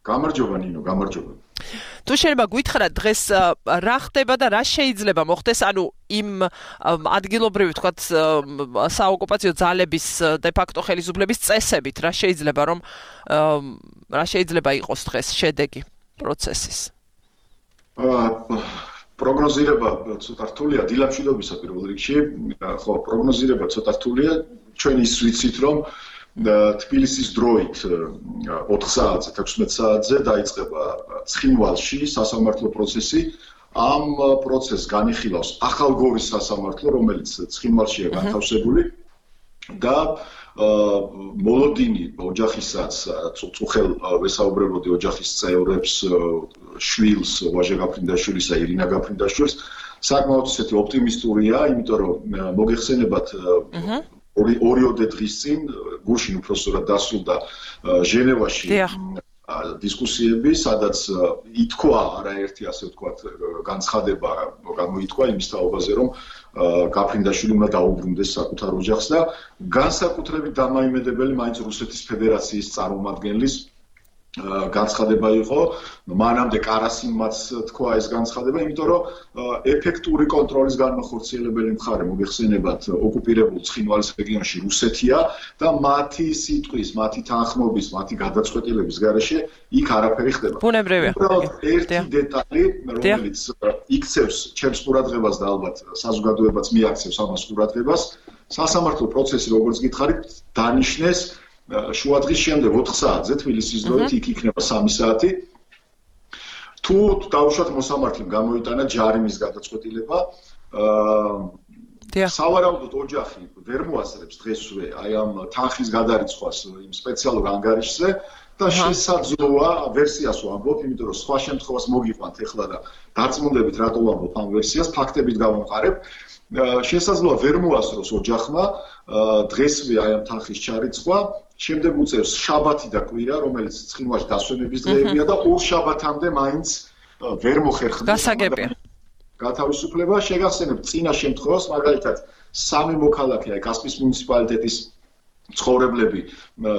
გამარჯობა ნინო, გამარჯობა. თუ შეიძლება გითხრა დღეს რა ხდება და რა შეიძლება მოხდეს, ანუ იმ ადგილობრივი თქვათ საოკუპაციო ძალების დე-ფაქტო ხელისუფლების წესებით რა შეიძლება რომ რა შეიძლება იყოს დღეს შედეგი პროცესის. პროგნოზირება ცოტა რთულია დილა მშვიდობისა პირველ რიგში. ხო, პროგნოზირება ცოტა რთულია. ჩვენ ის ვიცით რომ თბილისის დროით ოთხ საათზე, ექვსმეტ საათზე დაიწყება ცხინვალში სასამართლო პროცესი. ამ პროცესს განიხილავს ახალგორის სასამართლო, რომელიც ცხინვალშია განთავსებული და მოლოდინი ოჯახისაც, წუხელ ვესაუბრებოდი ოჯახის წევრებს, შვილს, ვაჟა გაფრინდაშვილისა, ირინა გაფრინდაშვილს, საკმაოდ ისეთი ოპტიმისტურია, იმიტომ რომ მოგეხსენებათ ორი ორიოდე დღის წინ გუშინ უბრალოდ დასრულდა ჟენევაში დისკუსიები, სადაც ითქვა არაერთი ასე ვთქვათ განცხადება გამოითქვა იმის თაობაზე, რომ გაფრინდაშვილი უნდა დაუბრუნდეს საკუთარ ოჯახს და განსაკუთრებით დამაიმედებელი მაინც რუსეთის ფედერაციის წარმომადგენლის განცხადება იყო, მანამდე კარასინმაც თქვა ეს განცხადება, იმიტომ რომ ეფექტური კონტროლის განმახორციელებელი მხარე მოგეხსენებათ ოკუპირებულ ცხინვალის რეგიონში რუსეთია და მათი სიტყვის, მათი თანხმობის, მათი გადაწყვეტილების გარეშე იქ არაფერი ხდება. ბუნებრივია. ერთი დეტალი, რომელიც იქცევს ჩემს ყურადღებას და ალბათ საზოგადოებაც მიაქცევს ამას ყურადღებას, სასამართლო პროცესი, როგორც გითხარით, დანიშნეს შუადღის შემდეგ ოთხ საათზე თბილისის დროით იქ იქნება სამი საათი. თუ დავუშვათ მოსამართლემ გამოიტანა ჯარიმის გადაწყვეტილება, სავარაუდოდ ოჯახი ვერ მოასწრებს დღესვე აი ამ თანხის გადარიცხვას იმ სპეციალურ ანგარიშზე და შესაძლოა ვერსიას ვამბობ, იმიტომ რომ სხვა შემთხვევას მოგიყვანთ ეხლა და დარწმუნდებით რატო ვამბობ ამ ვერსიას, ფაქტებით გავამყარებ. შესაძლოა ვერ მოასწროს ოჯახმა დღესვე აი ამ თანხის ჩარიცხვა, შემდეგ უწევს შაბათი და კვირა, რომელიც ცხინვალში დასვენების დღეებია და ორ შაბათამდე მაინც ვერ მოხერხდება. გასაგებია. გათავისუფლება შეგახსენებთ წინა შემთხვევას, მაგალითად სამი მოქალაქე აი კასპიის მუნიციპალიტეტის ცხოვრებლები,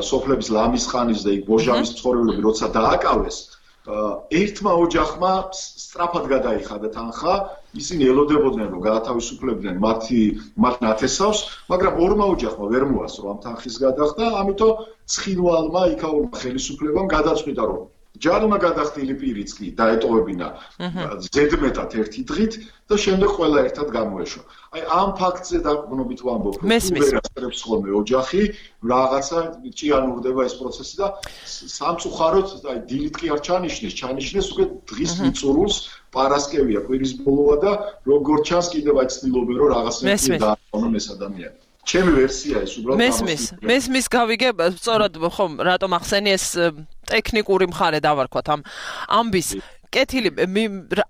სოფლების ლამისხანის და იქ ბოჟავის ცხოვრებლები როცა დააკავეს, ერთმა ოჯახმა სწრაფად გადაიხადა თანხა, ისინი ელოდებოდნენ რომ გაათავისუფლებდნენ მათი მათ ნათესავს, მაგრამ ორმა ოჯახმა ვერ მოასწრო ამ თანხის გადახდა, ამიტომ ცხინვალმა იქაურმა ხელისუფლებამ გადაწყვიტა რომ ჯარმა გადახდილი პირიც კი დაეტოვებინა ზედმეტად ერთი დღით და შემდეგ ყველა ერთად გამოეშვა. აი ამ ფაქტზე დაგვგნობით ვამბობ, რომ ვერასდროს ხოლმე ოჯახი რაღაცა ჭიანურდება ეს პროცესი და სამწუხაროდ აი დილით კი არ ჩანიშნეს, ჩანიშნეს უკვე დღის მიწურულს პარასკევია კვირის ბოლოა და როგორც ჩანს კიდევ აი ცდილობენ რომ რაღაცა დააყენონ ეს ადამიანი. ჩემი ვერსია ეს უბრალოდ მესმის მესმის გავიგე სწორად ხომ რატომ ახსენი ეს ტექნიკური მხარე დავარქვათ ამ ამბის კეთილი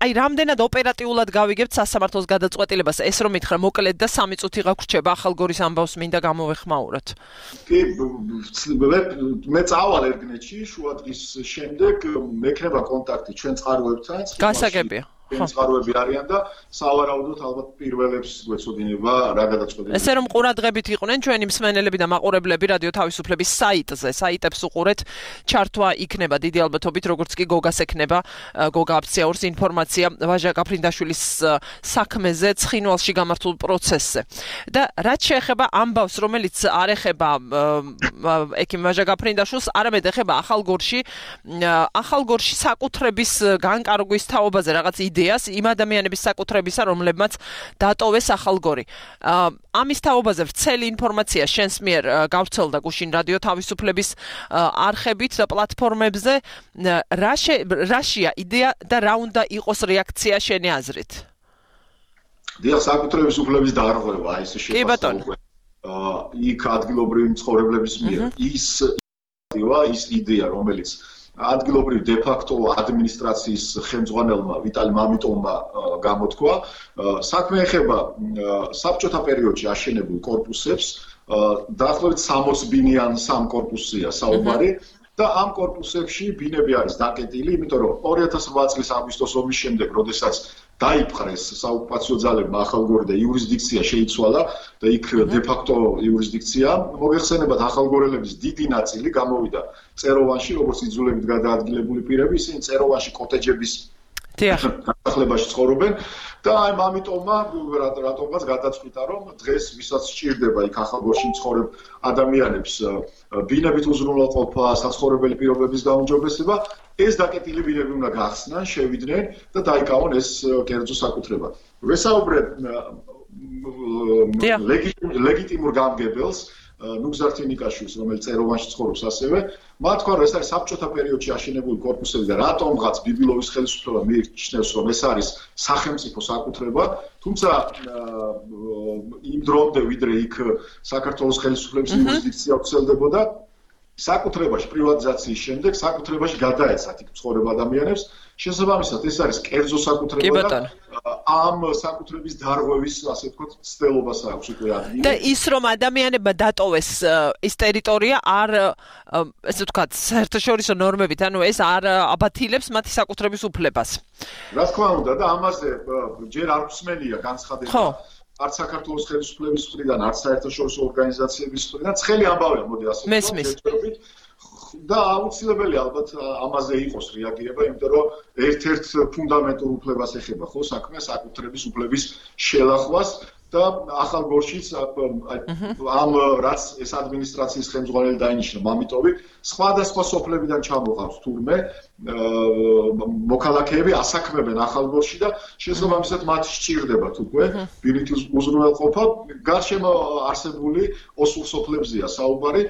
აი რამდენად ოპერატიულად გავიგებთ სასამართლოს გადაწყვეტილებას ეს რომ მითხრა მოკლედ და სამი წუთი გაგვრჩება ახალგორის ამბავს მინდა გამოვეხმაუროთ კი მე წავალ ერგნეთში შუა დღის შემდეგ მექნება კონტაქტი ჩვენ წყაროებთან გასაგებია წყაროები არიან და სავარაუდოდ ალბათ პირველებს გვეცოდინება რა გადაწყვეტილება. ესე რომ ყურადღებით იყვნენ ჩვენი მსმენელები და მაყურებლები რადიო თავისუფლების საიტზე, საიტებს უყურეთ, ჩართვა იქნება დიდი ალბათობით, როგორც კი გოგას ექნება, გოგა აფციაურს ინფორმაცია ვაჟა გაფრინდაშვილის საქმეზე, ცხინვალში გამართულ პროცესზე. და რაც შეეხება ამბავს, რომელიც არ ეხება ექიმ ვაჟა გაფრინდაშვილს, არამედ ეხება ახალგორში, ახალგორში საკუთრების განკარგვის თაობაზე რაღაც იდეას იმ ადამიანების საკუთრებისა, რომლებმაც დატოვეს ახალგორი. ამის თაობაზე ვრცელი ინფორმაცია შენს მიერ გავრცელდა გუშინ რადიო თავისუფლების არხებით და პლატფორმებზე. რაშია იდეა და რა უნდა იყოს რეაქცია შენი აზრით? დიახ, საკუთრების უფლების დარღვევა, აი ეს შეფასება. იქ ადგილობრივი მცხოვრებლების მიერ ის ის იდეა, რომელიც ადგილობრივ დე-ფაქტო ადმინისტრაციის ხელმძღვანელმა ვიტალი მამიტოვმა გამოთქვა, საქმე ეხება საბჭოთა პერიოდში აშენებულ კორპუსებს, დაახლოებით სამოც ბინიან სამ კორპუსია საუბარი და ამ კორპუსებში ბინები არის დაკეტილი, იმიტომ რომ ორი ათას რვა წლის აგვისტოს ომის შემდეგ, როდესაც დაიპყრეს საოკუპაციო ძალებმა ახალგორი და იურისდიქცია შეიცვალა და იქ დე-ფაქტო იურისდიქცია, მოგეხსენებათ ახალგორელების დიდი ნაწილი გამოვიდა წეროვანში, როგორც იძულებით გადაადგილებული პირები, ისინი წეროვანში კოტეჯების განახლებაში ცხოვრობენ და აი ამიტომმა რატომღაც გადაწყვიტა რომ დღეს ვისაც სჭირდება იქ ახალგორში მცხოვრებ ადამიანებს ბინებით უზრუნველყოფა, საცხოვრებელი პირობების გაუმჯობესება, ეს დაკეტილი ბინები უნდა გახსნან, შევიდნენ და დაიკავონ ეს კერძო საკუთრება. ვესაუბრებ ლეგიტიმურ გამგებელს ნუგზარ ნიკაშვილს, რომელიც წეროვანში ცხოვრობს ასევე, მათ თქვა, რომ ეს არის საბჭოთა პერიოდში აშენებული კორპუსები და რატომღაც ბიბილოვის ხელისუფლება მიიჩნევს, რომ ეს არის სახელმწიფო საკუთრება, თუმცა იმ დრომდე, ვიდრე იქ საქართველოს ხელისუფლების იურისდიქცია ვრცელდებოდა, საკუთრებაში პრივატიზაციის შემდეგ საკუთრებაში გადაეცათ იქ მცხოვრებ ადამიანებს, შესაბამისად ეს არის კერძო საკუთრება და ამ საკუთრების დარღვევის, ასე ვთქვათ, ცდელობას აქვს უკვე ადგილი. და ის რომ ადამიანებმა დატოვეს ის ტერიტორია არ, ესე ვთქვათ, საერთაშორისო ნორმებით, ანუ ეს არ აბათილებს მათი საკუთრების უფლებას. რა თქმა უნდა და ამაზე ჯერ არ მსმენია განცხადება. არც საქართველოს ხელისუფლების მხრიდან, არც საერთაშორისო ორგანიზაციების მხრიდან, ცხელი ამბავია, მოდი ასე ვთქვათ, და აუცილებელი ალბათ ამაზე იყოს რეაგირება, იმიტომ რომ ერთ-ერთ ფუნდამენტურ უფლებას ეხება ხო საქმე საკუთრების უფლების შელახვას და ახალგორშიც ამ რაც ეს ადმინისტრაციის ხელმძღვანელი დაინიშნა მამიტოვი, სხვადასხვა სოფლებიდან ჩამოყავს თურმე მოქალაქეები ასაქმებენ ახალგორში და შესაბამისად მათ სჭირდებათ უკვე ბინით უზრუნველყოფა, გარშემო არსებული ოსურ სოფლებზეა საუბარი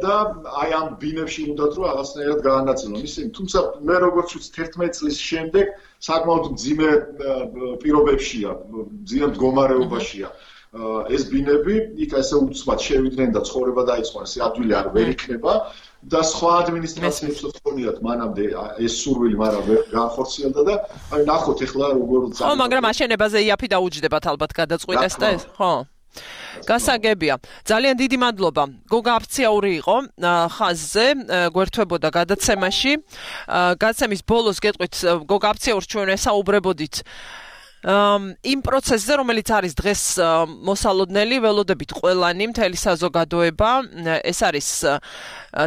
და აი ამ ბინებში უნდათ რომ რაღაცნაირად გაანაწილონ ისინი, თუმცა მე როგორც ვიცი თერთმეტი წლის შემდეგ საკმაოდ მძიმე პირობებშია, მძიმე მდგომარეობაშია ეს ბინები, იქ ესე უცბად შევიდნენ და ცხოვრება დაიწყო, ეს ადვილი არ ვერ იქნება და სხვა ადმინისტრაციებს ხონიათ მანამდე ეს სურვილი, მაგრამ ვერ განხორციელდა და აი ნახოთ ეხლა როგორ ხო, მაგრამ აშენებაზე იაფი დაუჯდებათ ალბათ გადაწყვიტეს და ეს, ხო? გასაგებია. ძალიან დიდი მადლობა. გოგა აფციაური იყო ხაზზე, გვერდთვებოდა გადაცემაში. გადაცემის ბოლოს გეტყვით, გოგა აფციაურს ჩვენ ესაუბრებოდით იმ პროცესზე, რომელიც არის დღეს მოსალოდნელი, ველოდებით ყველანი, მთელი საზოგადოება, ეს არის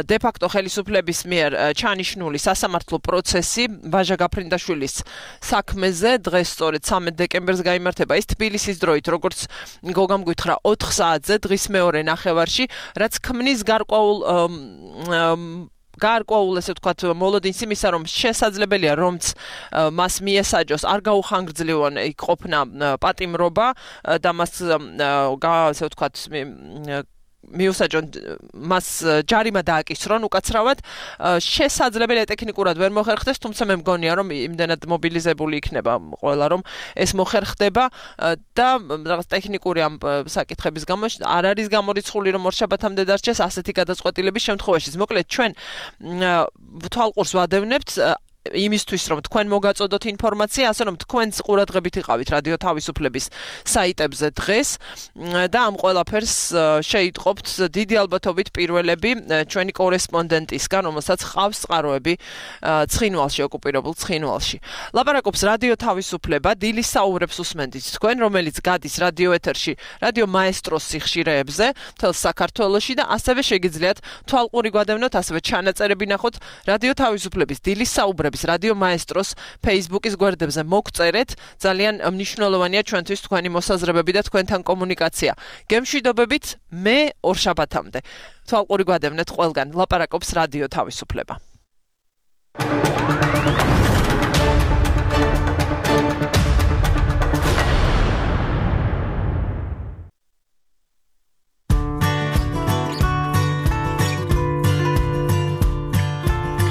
დე-ფაქტო ხელისუფლების მიერ ჩანიშნული სასამართლო პროცესი ვაჟა გაფრინდაშვილის საქმეზე, დღეს სწორედ სამი დეკემბერს გაიმართება ის თბილისის დროით, როგორც გოგამ გითხრა ოთხ საათზე დღის მეორე ნახევარში, რაც ქმნის გარკვეულ გარკვეულ ესე ვთქვათ მოლოდინს იმისა რომ შესაძლებელია რომც მას მიესაჯოს არ გაუხანგრძლივონ იქ ყოფნა პატიმრობა და მას ასე ვთქვათ მიუსაჯონ მას ჯარიმა დააკისრონ უკაცრავად შესაძლებელია ტექნიკურად ვერ მოხერხდეს თუმცა მე მგონია რომ იმდენად მობილიზებული იქნება ყველა რომ ეს მოხერხდება და რაღაც ტექნიკური ამ საკითხების გამო არ არის გამორიცხული რომ ორშაბათამდე დარჩეს ასეთი გადაწყვეტილების შემთხვევაში მოკლედ ჩვენ თვალყურს ვადევნებთ იმისთვის რომ თქვენ მოგაწოდოთ ინფორმაცია, ასე რომ თქვენც ყურადღებით იყავით რადიო თავისუფლების საიტებზე დღეს და ამ ყველაფერს შეიტყობთ დიდი ალბათობით პირველები ჩვენი კორესპონდენტისგან, რომელსაც ყავს წყაროები ცხინვალში, ოკუპირებულ ცხინვალში. ლაპარაკობს რადიო თავისუფლება, დილის საუბრებს უსმენთ თქვენ, რომელიც გადის რადიო ეთერში, რადიო მაესტროს სიხშირეებზე, მთელ საქართველოში და ასევე შეგიძლიათ თვალყური გვადევნოთ, ასევე ჩანაწერები ნახოთ რადიო თავისუფლების დილის საუბრებს რადიო მაესტროს Facebook-ის გვერდებზე მოგწერეთ, ძალიან მნიშვნელოვანია ჩვენთვის თქვენი მოსაზრებები და თქვენთან კომუნიკაცია. გემშვიდობებით, მე ორშაბათამდე. თვალყური გვადევნეთ ყველგან, ლაპარაკობს რადიო თავისუფლება.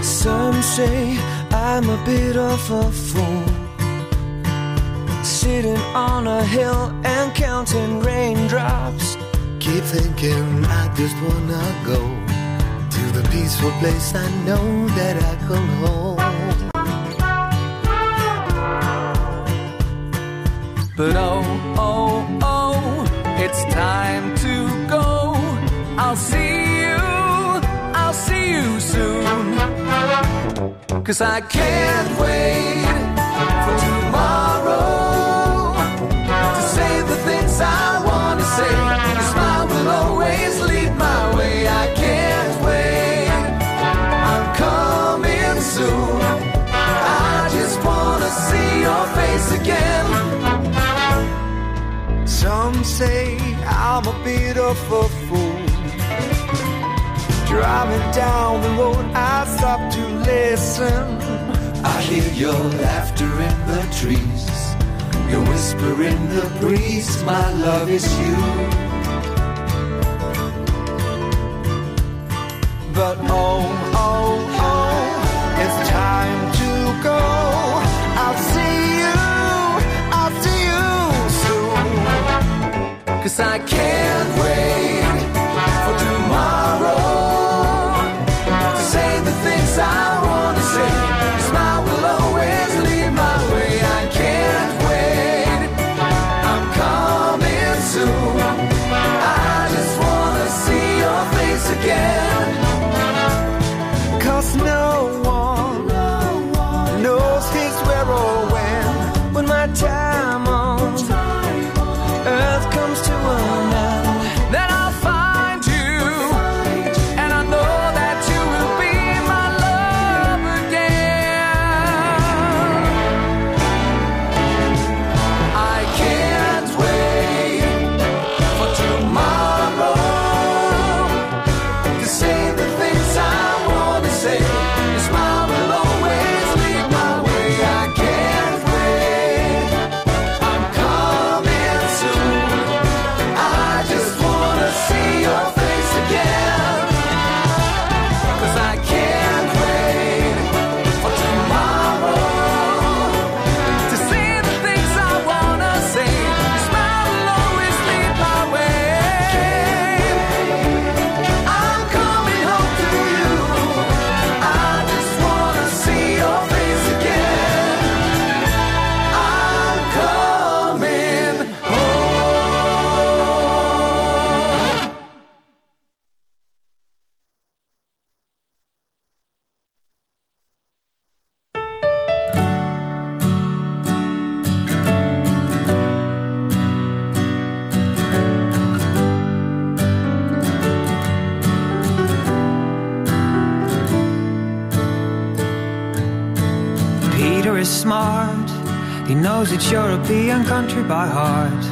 Some say I'm a bit of a fool, sitting on a hill and counting raindrops. Keep thinking I just wanna go to the peaceful place I know that I can hold. But oh, oh, oh, it's time to go. I'll see you, I'll see you soon. 'Cause I can't wait for tomorrow to say the things I want to say. Your smile will always lead my way. I can't wait, I'm coming soon. I just want to see your face again. Some say I'm a bit of a fool, driving down the road, I stop to listen. I hear your laughter in the trees, your whisper in the breeze. My love is you. But oh, oh, oh, it's time to go. I'll see you, I'll see you soon. 'Cause I can't wait for tomorrow. Say the things I want to say. Your smile will always lead my way. I can't wait, I'm coming soon. I just want to see your face again. 'Cause no one, knows his where or when. When my time on earth comes to an end, then I'll find you, and I know that you will be my love again. I can't wait for tomorrow to say the things I want to say. Your smile will always lead my way. I can't wait, I'm coming soon. I just want to see your face again. 'Cause I can't wait for tomorrow to say the things I want to say. Your smile will always lead my way. I'm coming home to you. I just want to see your face again. I'm coming home. Peter is smart, he knows it's European country by heart.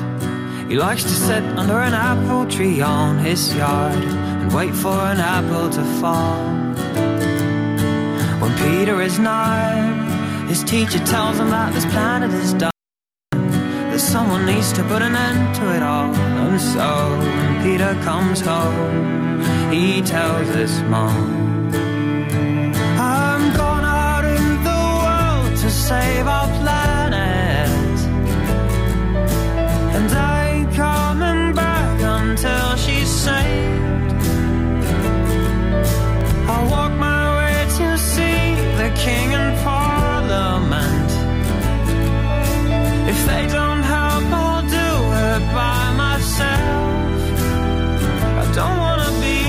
He likes to sit under an apple tree on his yard and wait for an apple to fall. Peter is nine. His teacher tells him that this planet is done. That someone needs to put an end to it all. And so when Peter comes home, he tells his mom, I'm gone out in the world to save our planet, and I ain't coming back until she's saved. I'll walk my way to see the king and parliament. If they don't help, I'll do it by myself. I don't wanna be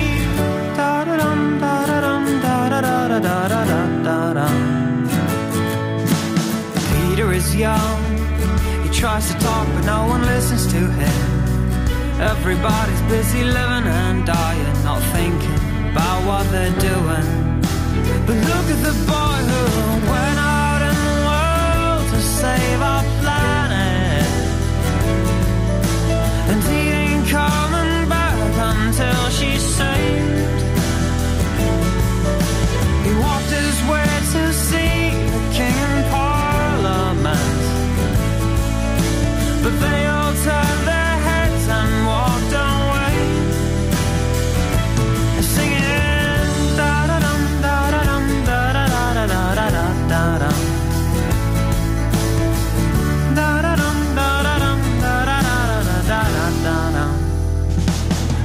da-da-dum, da-da-dum, da-da-da-da-da-da-da-da-dum. Peter is young. He tries to talk, but no one listens to him. Everybody's busy living and dying, not thinking about what they're doing. But look at the boy who went out in the world to save our planet, and he ain't coming back until she's saved. He walked his way to see the king and parliament, but they all turned their heads and walked away, singing da-da-dum, da-da-dum, da-da-da-da-da-da-da-da-dum. Da-da-dum, da-da-dum, da-da-da-da-da-da-da-dum.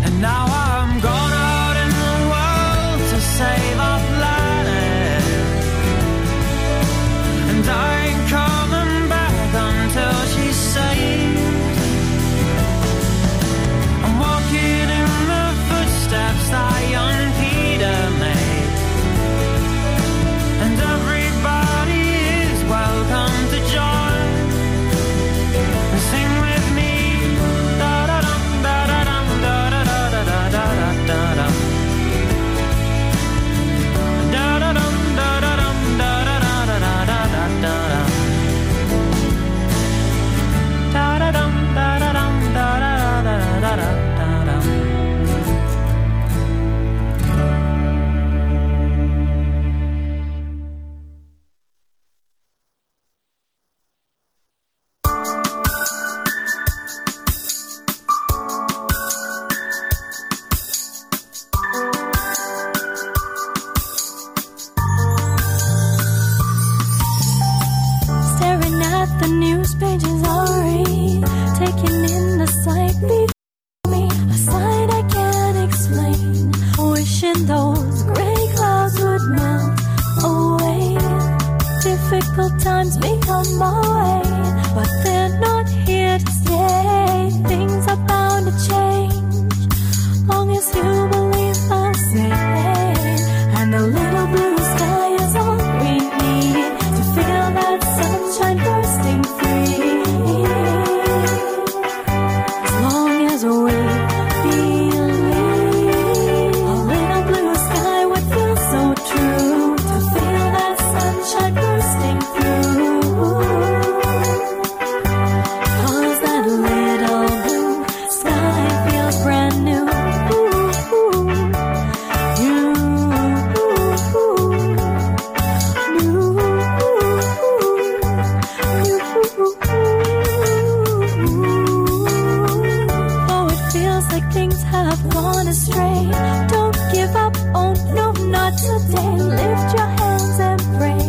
And now I'm gone out in the world to save our planet, and I ain't coming back until she's saved. I'm walking in the footsteps that young Peter made, and everybody is welcome to join and sing with me. Da-da-dum, da-da-dum, da-da-da-da-da-da-da-da-dum. Da-da-dum, da-da-dum, da-da-da-da-da-da-da-dum. Da-da-dum, da-da-dum, da-da-da-da-da-da-dum. Staring at the news pages all read, taking in the sight before me, a sight I can't explain. Wishing those gray clouds would melt away. Difficult times become my way, but they're not here to stay. Things are bound to change, long as you believe the same. And a little blue sky is all we need to feel that sunshine bursting free. As long as we believe, a little blue sky would feel so true to feel that sunshine bursting through. 'Cause that little blue sky feels brand new. Oh, it feels like things have gone astray. Don't give up, oh no, not today. Lift your hands and pray.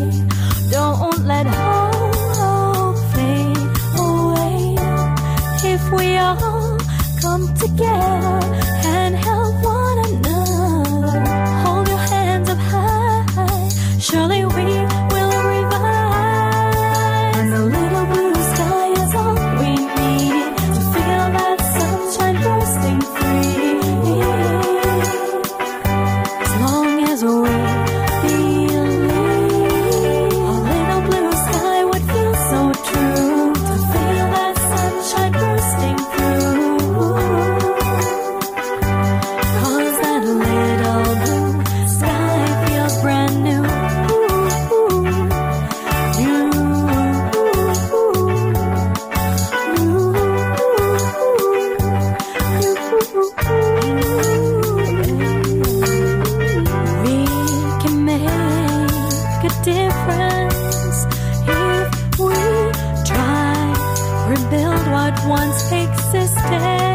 Don't let hope fade away. If we all come together and help one another, hold your hands up high, surely we will revive. And the little blue sky is all we need to feel that sunshine bursting free. As long as we believe, a little blue sky would feel so true to feel that sunshine bursting through. 'Cause that little blue sky feels brand new. existence.